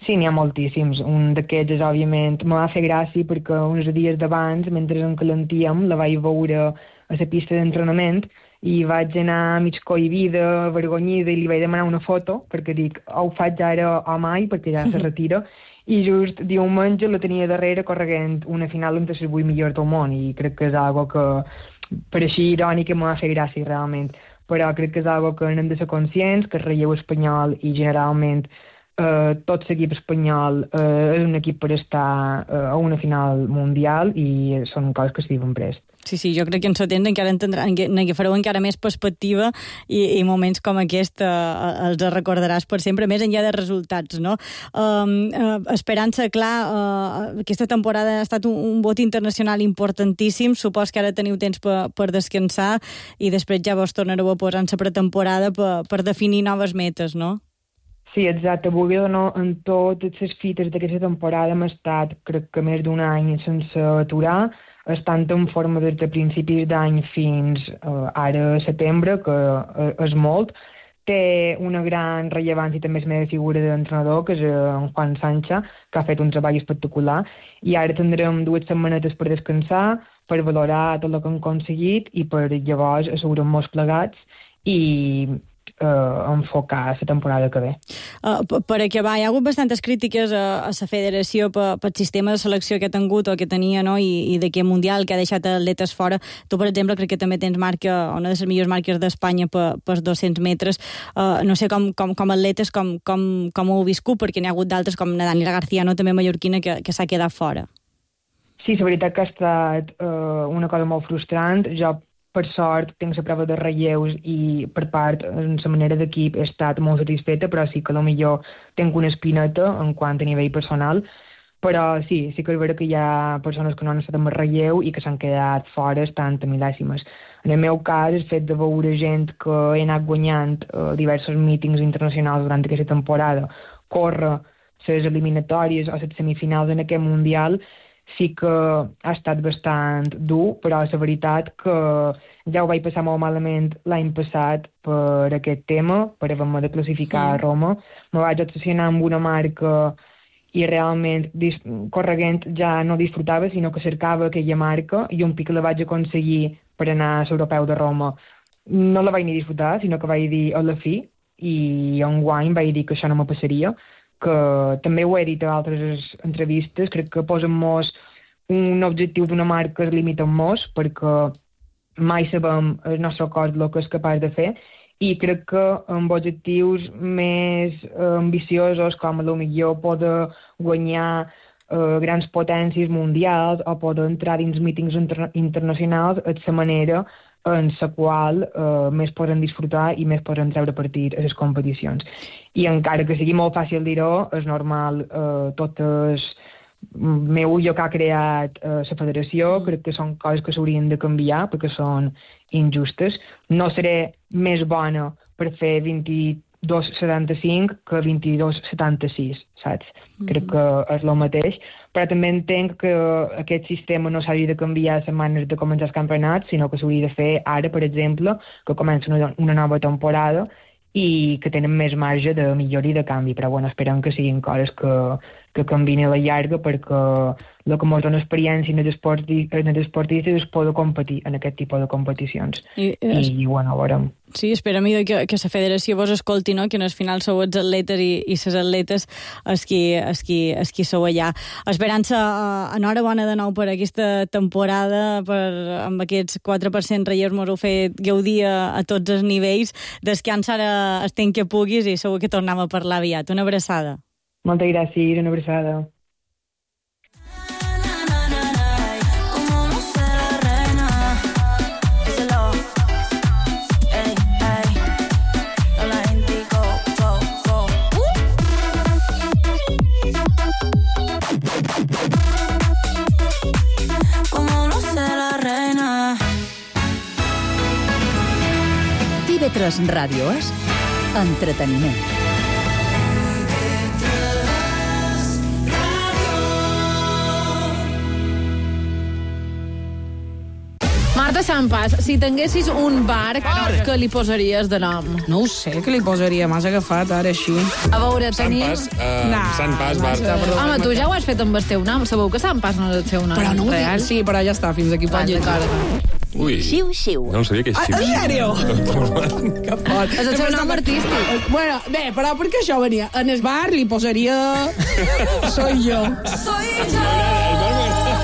Sí, n'hi ha moltíssims. Un d'aquests és, òbviament, me va fer gràcia perquè uns dies d'abans, mentre en calentíem, la vaig veure a la pista d'entrenament i vaig anar mig cohibida, vergonyida, i li vaig demanar una foto, perquè dic, o ho faig ara o mai, perquè ja se retira, i just diumenge la tenia darrere correguent una final entre les 8 millors del món, i crec que és algo que, per així irònica, m'ha fet gràcia realment, però crec que és algo que n'hem de ser conscients, que el relleu espanyol i generalment tot l'equip espanyol és un equip per estar a una final mundial i són coses que es diuen prest. Sí, jo crec que en setembre encara fareu encara més perspectiva i moments com aquest els recordaràs per sempre, més enllà de resultats, no? Esperança, clar, aquesta temporada ha estat un vot internacional importantíssim, supos que ara teniu temps per descansar i després ja vos tornareu a posar en la pretemporada per definir noves metes, no? Sí, exacte. Volia donar en totes les fites d'aquesta temporada hem estat, crec que més d'un any sense aturar, estant en forma des de principis d'any fins ara setembre, que és molt. Té una gran rellevància també la meva figura d'entrenador, que és en Juan Sancha, que ha fet un treball espectacular, i ara tindrem 2 setmanetes per descansar, per valorar tot el que hem aconseguit i per llavors assegurar-nos plegats i enfocar la temporada que ve. Per acabar, hi ha hagut bastantes crítiques a la federació pel sistema de selecció que ha tingut o que tenia, no? I d'aquest mundial que ha deixat atletes fora. Tu, per exemple, crec que també tens marca, una de les millors marques d'Espanya per 200 metres. No sé com atletes com ho heu viscut, perquè n'hi ha hagut d'altres com la Daniela García, no? També mallorquina, que s'ha quedat fora. Sí, la veritat que ha estat una cosa molt frustrant. Jo, per sort, tinc la prova de relleus i per part, en la manera d'equip, he estat molt satisfeta, però sí que potser tinc una espineta en quant a nivell personal. Però sí que és vera que hi ha persones que no han estat amb el relleu i que s'han quedat fora, estan milèsimes. En el meu cas, el fet de veure gent que he anat guanyant diversos mítings internacionals durant aquesta temporada, córrer les eliminatòries o les semifinals en aquest mundial, sí que ha estat bastant dur, però la veritat que ja ho vaig passar molt malament l'any passat per aquest tema, per haver-me de classificar a Roma. Me vaig obsessionar amb una marca i realment correguent ja no disfrutava, sinó que cercava aquella marca i un pic la vaig aconseguir per anar a l'Europeu de Roma. No la vaig ni disfrutar, sinó que vaig dir a la fi, i enguany vaig dir que això no me passaria, que també ho he dit a altres entrevistes, crec que posem-nos un objectiu d'una marca es limita amb mos, perquè mai sabem el nostre cos el que és capaç de fer, i crec que amb objectius més ambiciosos, com potser poder guanyar grans potències mundials o poder entrar dins mítings internacionals, és la manera en la qual més poden disfrutar i més poden treure partit a les competicions. I encara que sigui molt fàcil dir-ho, és normal, tot el meu jo que ha creat la federació, crec que són coses que s'haurien de canviar perquè són injustes. No seré més bona per fer 22,75 que 22,76, saps? Crec que és el mateix, però també entenc que aquest sistema no s'hauria de canviar setmanes de començar els campionats, sinó que s'hauria de fer ara, per exemple, que comença una nova temporada i que tenen més marge de millora i de canvi, però bueno, esperem que siguin coses que canvien a la llarga, perquè el que ens dona experiència en els esportistes és poder competir en aquest tipus de competicions. I bueno, veurem. Sí, esperem que la federació vos escolti, no? Que en el final sou els atletes i les atletes els qui sou allà. Esperança, enhorabona de nou per aquesta temporada, amb aquests 4% relleus mos heu fet gaudir a tots els nivells. Descansa ara el temps que puguis i segur que tornem a parlar aviat. Una abraçada. Moltes gràcies, una abraçada. TV3 Ràdio és entreteniment. Marta Sampas, si tinguessis un bar, què li posaries de nom? No ho sé, què li posaria? M'has agafat ara així. A veure, tenim... Sant Pas, Marta. Home, tu ja ho has fet amb el teu nom. Sabeu que Sant Pas no és el teu nom però no real? Sí, però ja està, fins aquí pot llegir. Ui, Xiu-xiu. no sabia que és xiu. En sèrio? Que fort. És el seu nom artístic. Bueno, bé, però perquè això venia. En el bar li posaria... Soy yo. Soy yo.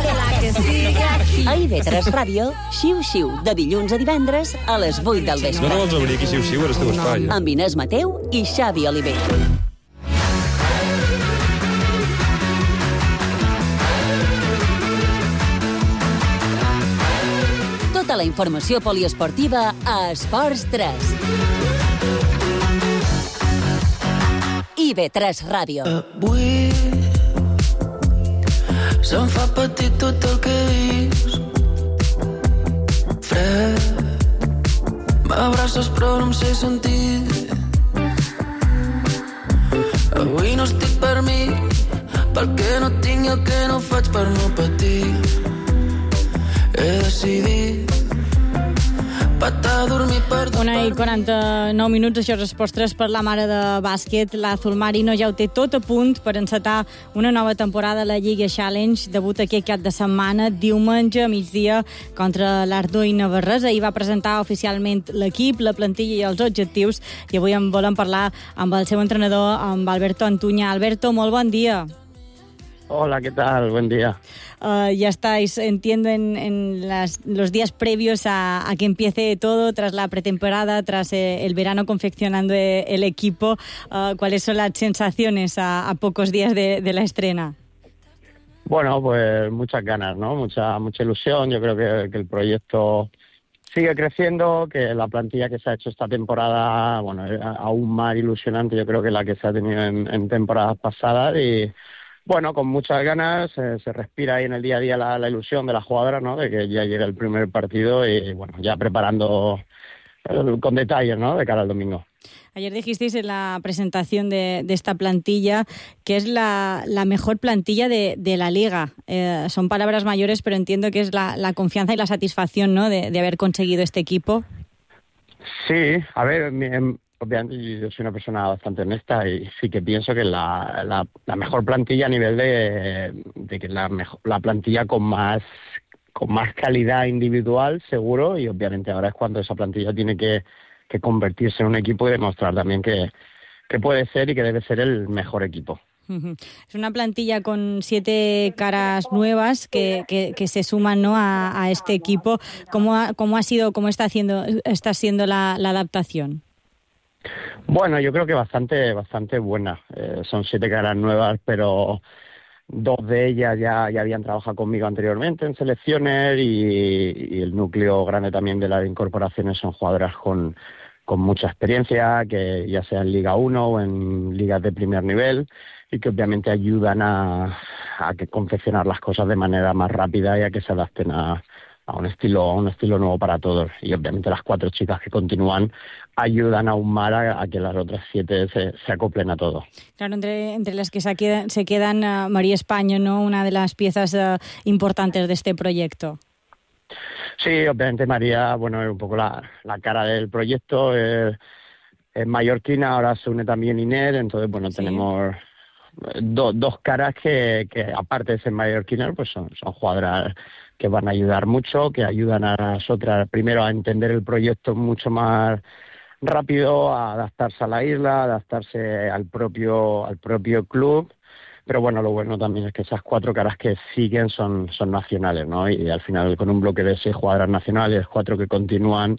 La que sigue aquí. A IB3 Ràdio, Xiu-xiu, de dilluns a divendres a les 8 del vespre. No vols obrir aquí xiu-xiu, ara esteu espai. Amb Inés Mateu i Xavi Oliver. informació poliesportiva a Esports 3. IB3 Ràdio. Avui se'm fa petit tot el que he vist. Fred, m'abraces però no em sé sentir. Avui no estic per mi, pel que no tinc i el que no faig per no patir. He decidit patar a dormir per... 1:49 minuts, això és Esports 3 per la mare de bàsquet. L'Azul Marino ja ho té tot a punt per encetar una nova temporada a la Lliga Challenge. Debut aquest cap de setmana, diumenge a migdia, contra l'Ardó i Navarrés. Ahir va presentar oficialment l'equip, la plantilla i els objectius, i avui en volem parlar amb el seu entrenador, amb Alberto Antuña. Alberto, molt bon dia. Hola, ¿qué tal? Buen día. Ya estáis, entiendo, en los días previos a que empiece todo, tras la pretemporada, tras el verano confeccionando el equipo. ¿Cuáles son las sensaciones a pocos días de la estrena? Bueno, pues muchas ganas, ¿no? Mucha ilusión. Yo creo que el proyecto sigue creciendo, que la plantilla que se ha hecho esta temporada, bueno, es aún más ilusionante, yo creo, que la que se ha tenido en temporadas pasadas. Y bueno, con muchas ganas, se respira ahí en el día a día la ilusión de la jugadora, ¿no? De que ya llegue el primer partido y bueno, ya preparando con detalles, ¿no? De cara al domingo. Ayer dijisteis en la presentación de esta plantilla que es la mejor plantilla de la Liga. Son palabras mayores, pero entiendo que es la confianza y la satisfacción, ¿no? de haber conseguido este equipo. Sí, a ver, obviamente yo soy una persona bastante honesta y sí que pienso que la mejor plantilla a nivel de que la plantilla con más calidad individual, seguro, y obviamente ahora es cuando esa plantilla tiene que convertirse en un equipo y demostrar también que puede ser y que debe ser el mejor equipo. Es una plantilla con 7 caras nuevas que se suman, ¿no? a este equipo. ¿Cómo está siendo la adaptación? Bueno, yo creo que bastante buena. Son 7 caras nuevas, pero 2 de ellas ya habían trabajado conmigo anteriormente en selecciones y el núcleo grande también de las incorporaciones son jugadoras con mucha experiencia, que ya sea en Liga 1 o en ligas de primer nivel, y que obviamente ayudan a que confeccionar las cosas de manera más rápida y a que se adapten a un estilo nuevo para todos. Y obviamente las 4 chicas que continúan ayudan aún más a que las otras 7 se acoplen a todo. Claro, entre las que se quedan María España, ¿no? Una de las piezas importantes de este proyecto. Sí, obviamente María, bueno, es un poco la cara del proyecto. Es mallorquina, ahora se une también Inés, entonces, bueno, sí. Tenemos dos caras que aparte de ser mallorquinas, pues son jugadoras que van a ayudar mucho, que ayudan a las otras primero a entender el proyecto mucho más rápido, a adaptarse a la isla, a adaptarse al propio club. Pero bueno, lo bueno también es que esas 4 caras que siguen son nacionales, ¿no? Y al final con un bloque de 6 jugadoras nacionales, 4 que continúan,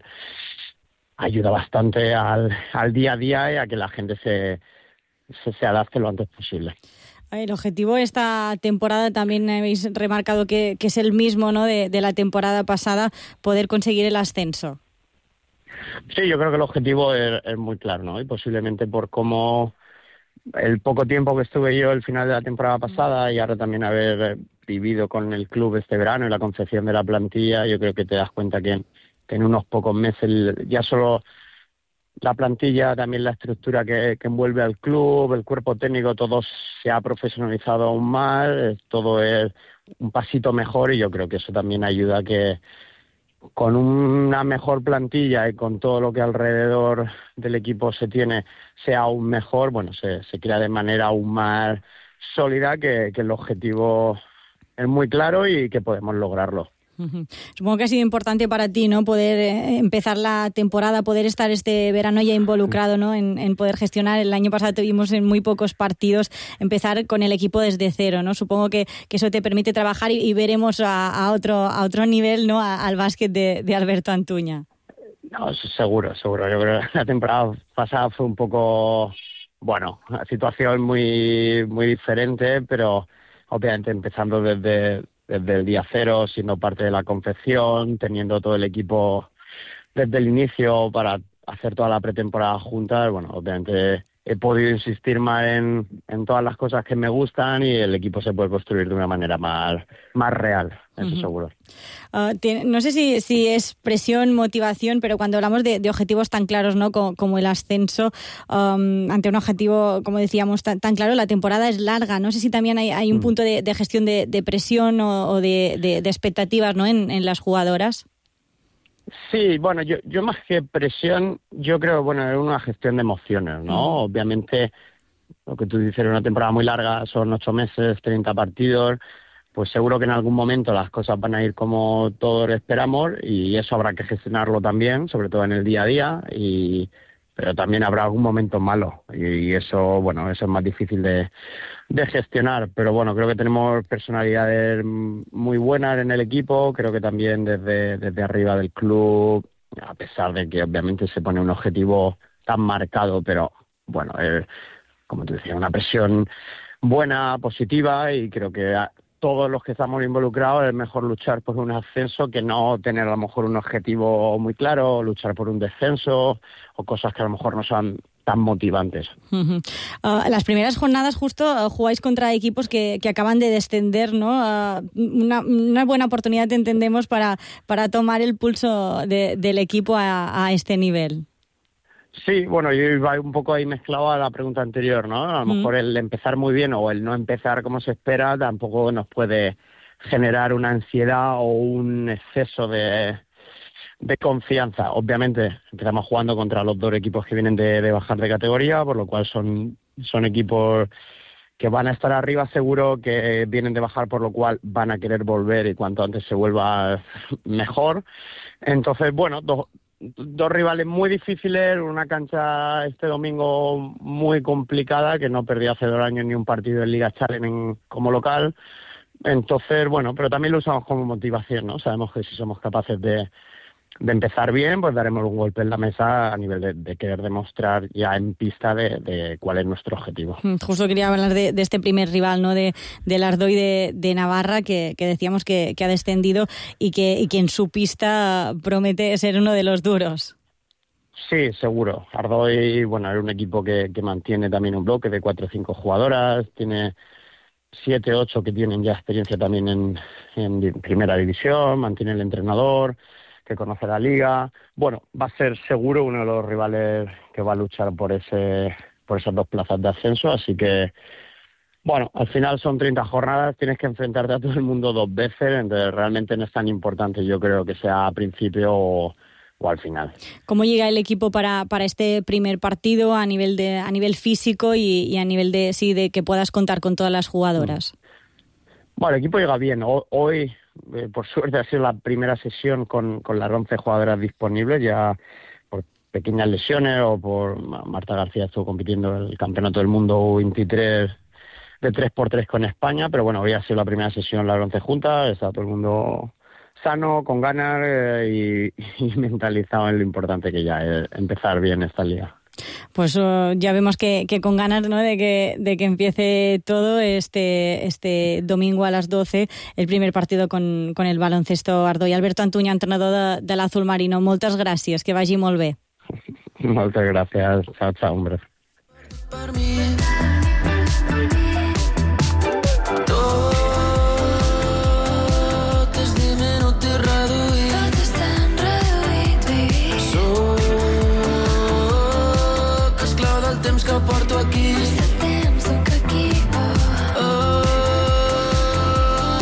ayuda bastante al día a día y a que la gente se adapte lo antes posible. El objetivo de esta temporada también habéis remarcado que es el mismo, ¿no? de la temporada pasada, poder conseguir el ascenso. Sí, yo creo que el objetivo es muy claro, ¿no? Y posiblemente por cómo el poco tiempo que estuve yo el final de la temporada pasada y ahora también haber vivido con el club este verano y la concepción de la plantilla, yo creo que te das cuenta que en unos pocos meses ya solo la plantilla, también la estructura que envuelve al club, el cuerpo técnico, todo se ha profesionalizado aún más, todo es un pasito mejor y yo creo que eso también ayuda a que con una mejor plantilla y con todo lo que alrededor del equipo se tiene sea aún mejor, bueno, se crea de manera aún más sólida que el objetivo es muy claro y que podemos lograrlo. Supongo que ha sido importante para ti, ¿no? Poder empezar la temporada, poder estar este verano ya involucrado, ¿no? En poder gestionar. El año pasado tuvimos en muy pocos partidos empezar con el equipo desde cero, ¿no? Supongo que eso te permite trabajar y veremos a otro nivel, ¿no? Al básquet de Alberto Antuña. No, seguro. Yo creo que la temporada pasada fue un poco, bueno, una situación muy, muy diferente, pero obviamente empezando desde desde el día cero, siendo parte de la confección, teniendo todo el equipo desde el inicio para hacer toda la pretemporada juntas. Bueno, obviamente he podido insistir más en todas las cosas que me gustan y el equipo se puede construir de una manera más real, eso seguro. No sé si es presión, motivación, pero cuando hablamos de objetivos tan claros, ¿no?, como el ascenso, ante un objetivo, como decíamos, tan claro, la temporada es larga. No sé si también hay un punto de gestión de presión o de expectativas, ¿no?, en las jugadoras. Sí, bueno, yo más que presión, yo creo, bueno, es una gestión de emociones, ¿no? Obviamente, lo que tú dices, una temporada muy larga, son 8 meses, 30 partidos, pues seguro que en algún momento las cosas van a ir como todos esperamos y eso habrá que gestionarlo también, sobre todo en el día a día, pero también habrá algún momento malo y eso, bueno, eso es más difícil de gestionar, pero bueno, creo que tenemos personalidades muy buenas en el equipo, creo que también desde arriba del club, a pesar de que obviamente se pone un objetivo tan marcado, pero bueno, como te decía, una presión buena, positiva, y creo que todos los que estamos involucrados es mejor luchar por un ascenso que no tener a lo mejor un objetivo muy claro, luchar por un descenso o cosas que a lo mejor no son tan motivantes. Las primeras jornadas justo jugáis contra equipos que acaban de descender, ¿no? Una buena oportunidad, entendemos, para tomar el pulso del equipo a este nivel. Sí, bueno, yo iba un poco ahí mezclado a la pregunta anterior, ¿no? A lo mejor el empezar muy bien o el no empezar como se espera tampoco nos puede generar una ansiedad o un exceso de confianza. Obviamente empezamos jugando contra los 2 equipos que vienen de bajar de categoría, por lo cual son equipos que van a estar arriba seguro, que vienen de bajar, por lo cual van a querer volver y cuanto antes se vuelva mejor. Entonces, bueno, dos rivales muy difíciles, una cancha este domingo muy complicada, que no perdí hace 2 años ni un partido en Liga Challenge como local. Entonces, bueno, pero también lo usamos como motivación, ¿no? Sabemos que si somos capaces de empezar bien, pues daremos un golpe en la mesa a nivel de querer demostrar ya en pista de cuál es nuestro objetivo. Justo quería hablar de este primer rival, ¿no?, del Ardoy de Navarra, que decíamos que ha descendido y que en su pista promete ser uno de los duros. Sí, seguro. Ardoy, bueno, es un equipo que mantiene también un bloque de 4 o 5 jugadoras, tiene 7, 8 que tienen ya experiencia también en primera división, mantiene el entrenador que conoce la liga. Bueno, va a ser seguro uno de los rivales que va a luchar por esas 2 plazas de ascenso, así que, bueno, al final son 30 jornadas, tienes que enfrentarte a todo el mundo 2 veces, entonces realmente no es tan importante, yo creo, que sea a principio o al final. ¿Cómo llega el equipo para este primer partido a nivel físico y a nivel de que puedas contar con todas las jugadoras? Bueno, el equipo llega bien. Hoy, por suerte, ha sido la primera sesión con las 11 jugadoras disponibles, ya por pequeñas lesiones o por Marta García estuvo compitiendo en el Campeonato del Mundo 23 de 3x3 con España, pero bueno, hoy ha sido la primera sesión las 11 juntas, está todo el mundo sano, con ganas y mentalizado en lo importante que ya es empezar bien esta liga. Pues ya vemos que con ganas, ¿no?, de que empiece todo este domingo a las 12, el primer partido con el baloncesto Ardoy. Alberto Antuña, entrenador de l'Azul Marino, moltes gràcies, que vagi molt bé. Moltes gràcies, chao, hombre. Que porto aquí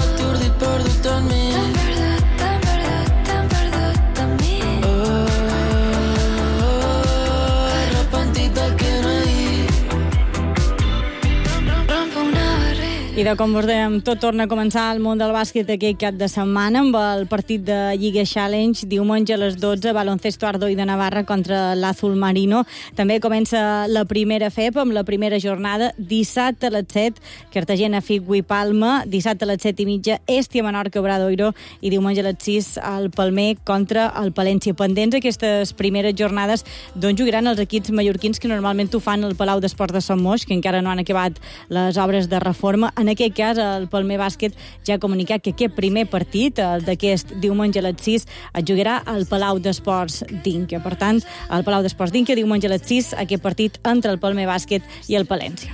atordit, perdut en mi, tan perdut en mi, arrepentit del que no he dit. I de com us dèiem, tot torna a començar al món del bàsquet aquell cap de setmana amb el partit de Lliga Challenge, diumenge a les 12, Baloncesto Ardoy de Navarra contra l'Azul Marino. També comença la primera FEP amb la primera jornada, dissabte a les 7, Cartagena, Figui, Palma, dissabte a les 7:30, Estia, Menorca, Obradoiro, i diumenge a les 6, el Palmer contra el Palència. Pendents aquestes primeres jornades d'on jugaran els equips mallorquins, que normalment ho fan al Palau d'Esports de Sant Moix, que encara no han acabat les obres de reforma. En aquest cas, el Palmer Bàsquet ja ha comunicat que aquest primer partit, d'aquest diumenge a les 6, es jugarà al Palau d'Esports d'Inca. Per tant, al Palau d'Esports d'Inca, diumenge a les 6, aquest partit entre el Palmer Bàsquet i el Palència.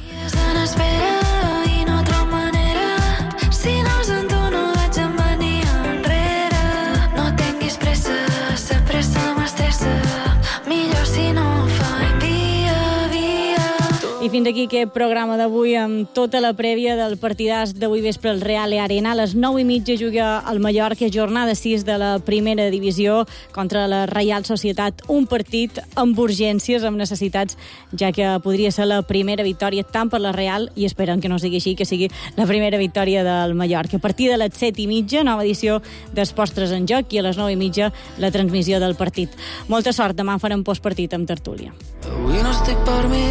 I fins aquí aquest programa d'avui amb tota la prèvia del partidàs d'avui vespre al Real Arena. A les 9:30 juga el Mallorca, jornada 6 de la primera divisió contra la Reial Societat. Un partit amb urgències, amb necessitats, ja que podria ser la primera victòria tant per la Real, i esperem que no sigui així, que sigui la primera victòria del Mallorca. A partir de les 7:30, nova edició d'Esports 3 en joc, i a les 9:30 la transmissió del partit. Molta sort, demà farem postpartit amb tertúlia. Avui no estic per mi,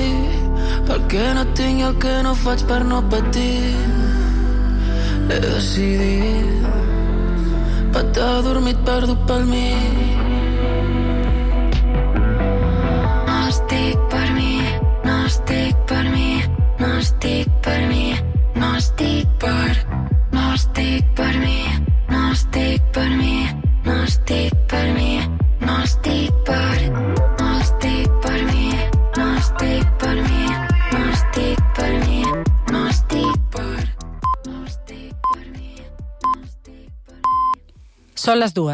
perquè no tinc i el que no faig per no patir. He decidit patar dormit perdut pel mig. No estic per mi, no estic per mi, no estic per mi, no estic per, no estic per mi, no estic per mi, no estic per mi, no estic per, no estic per mi, no estic per mi, no estic per mi, no estic per, no estic per mi, no estic per mi. Són les 2.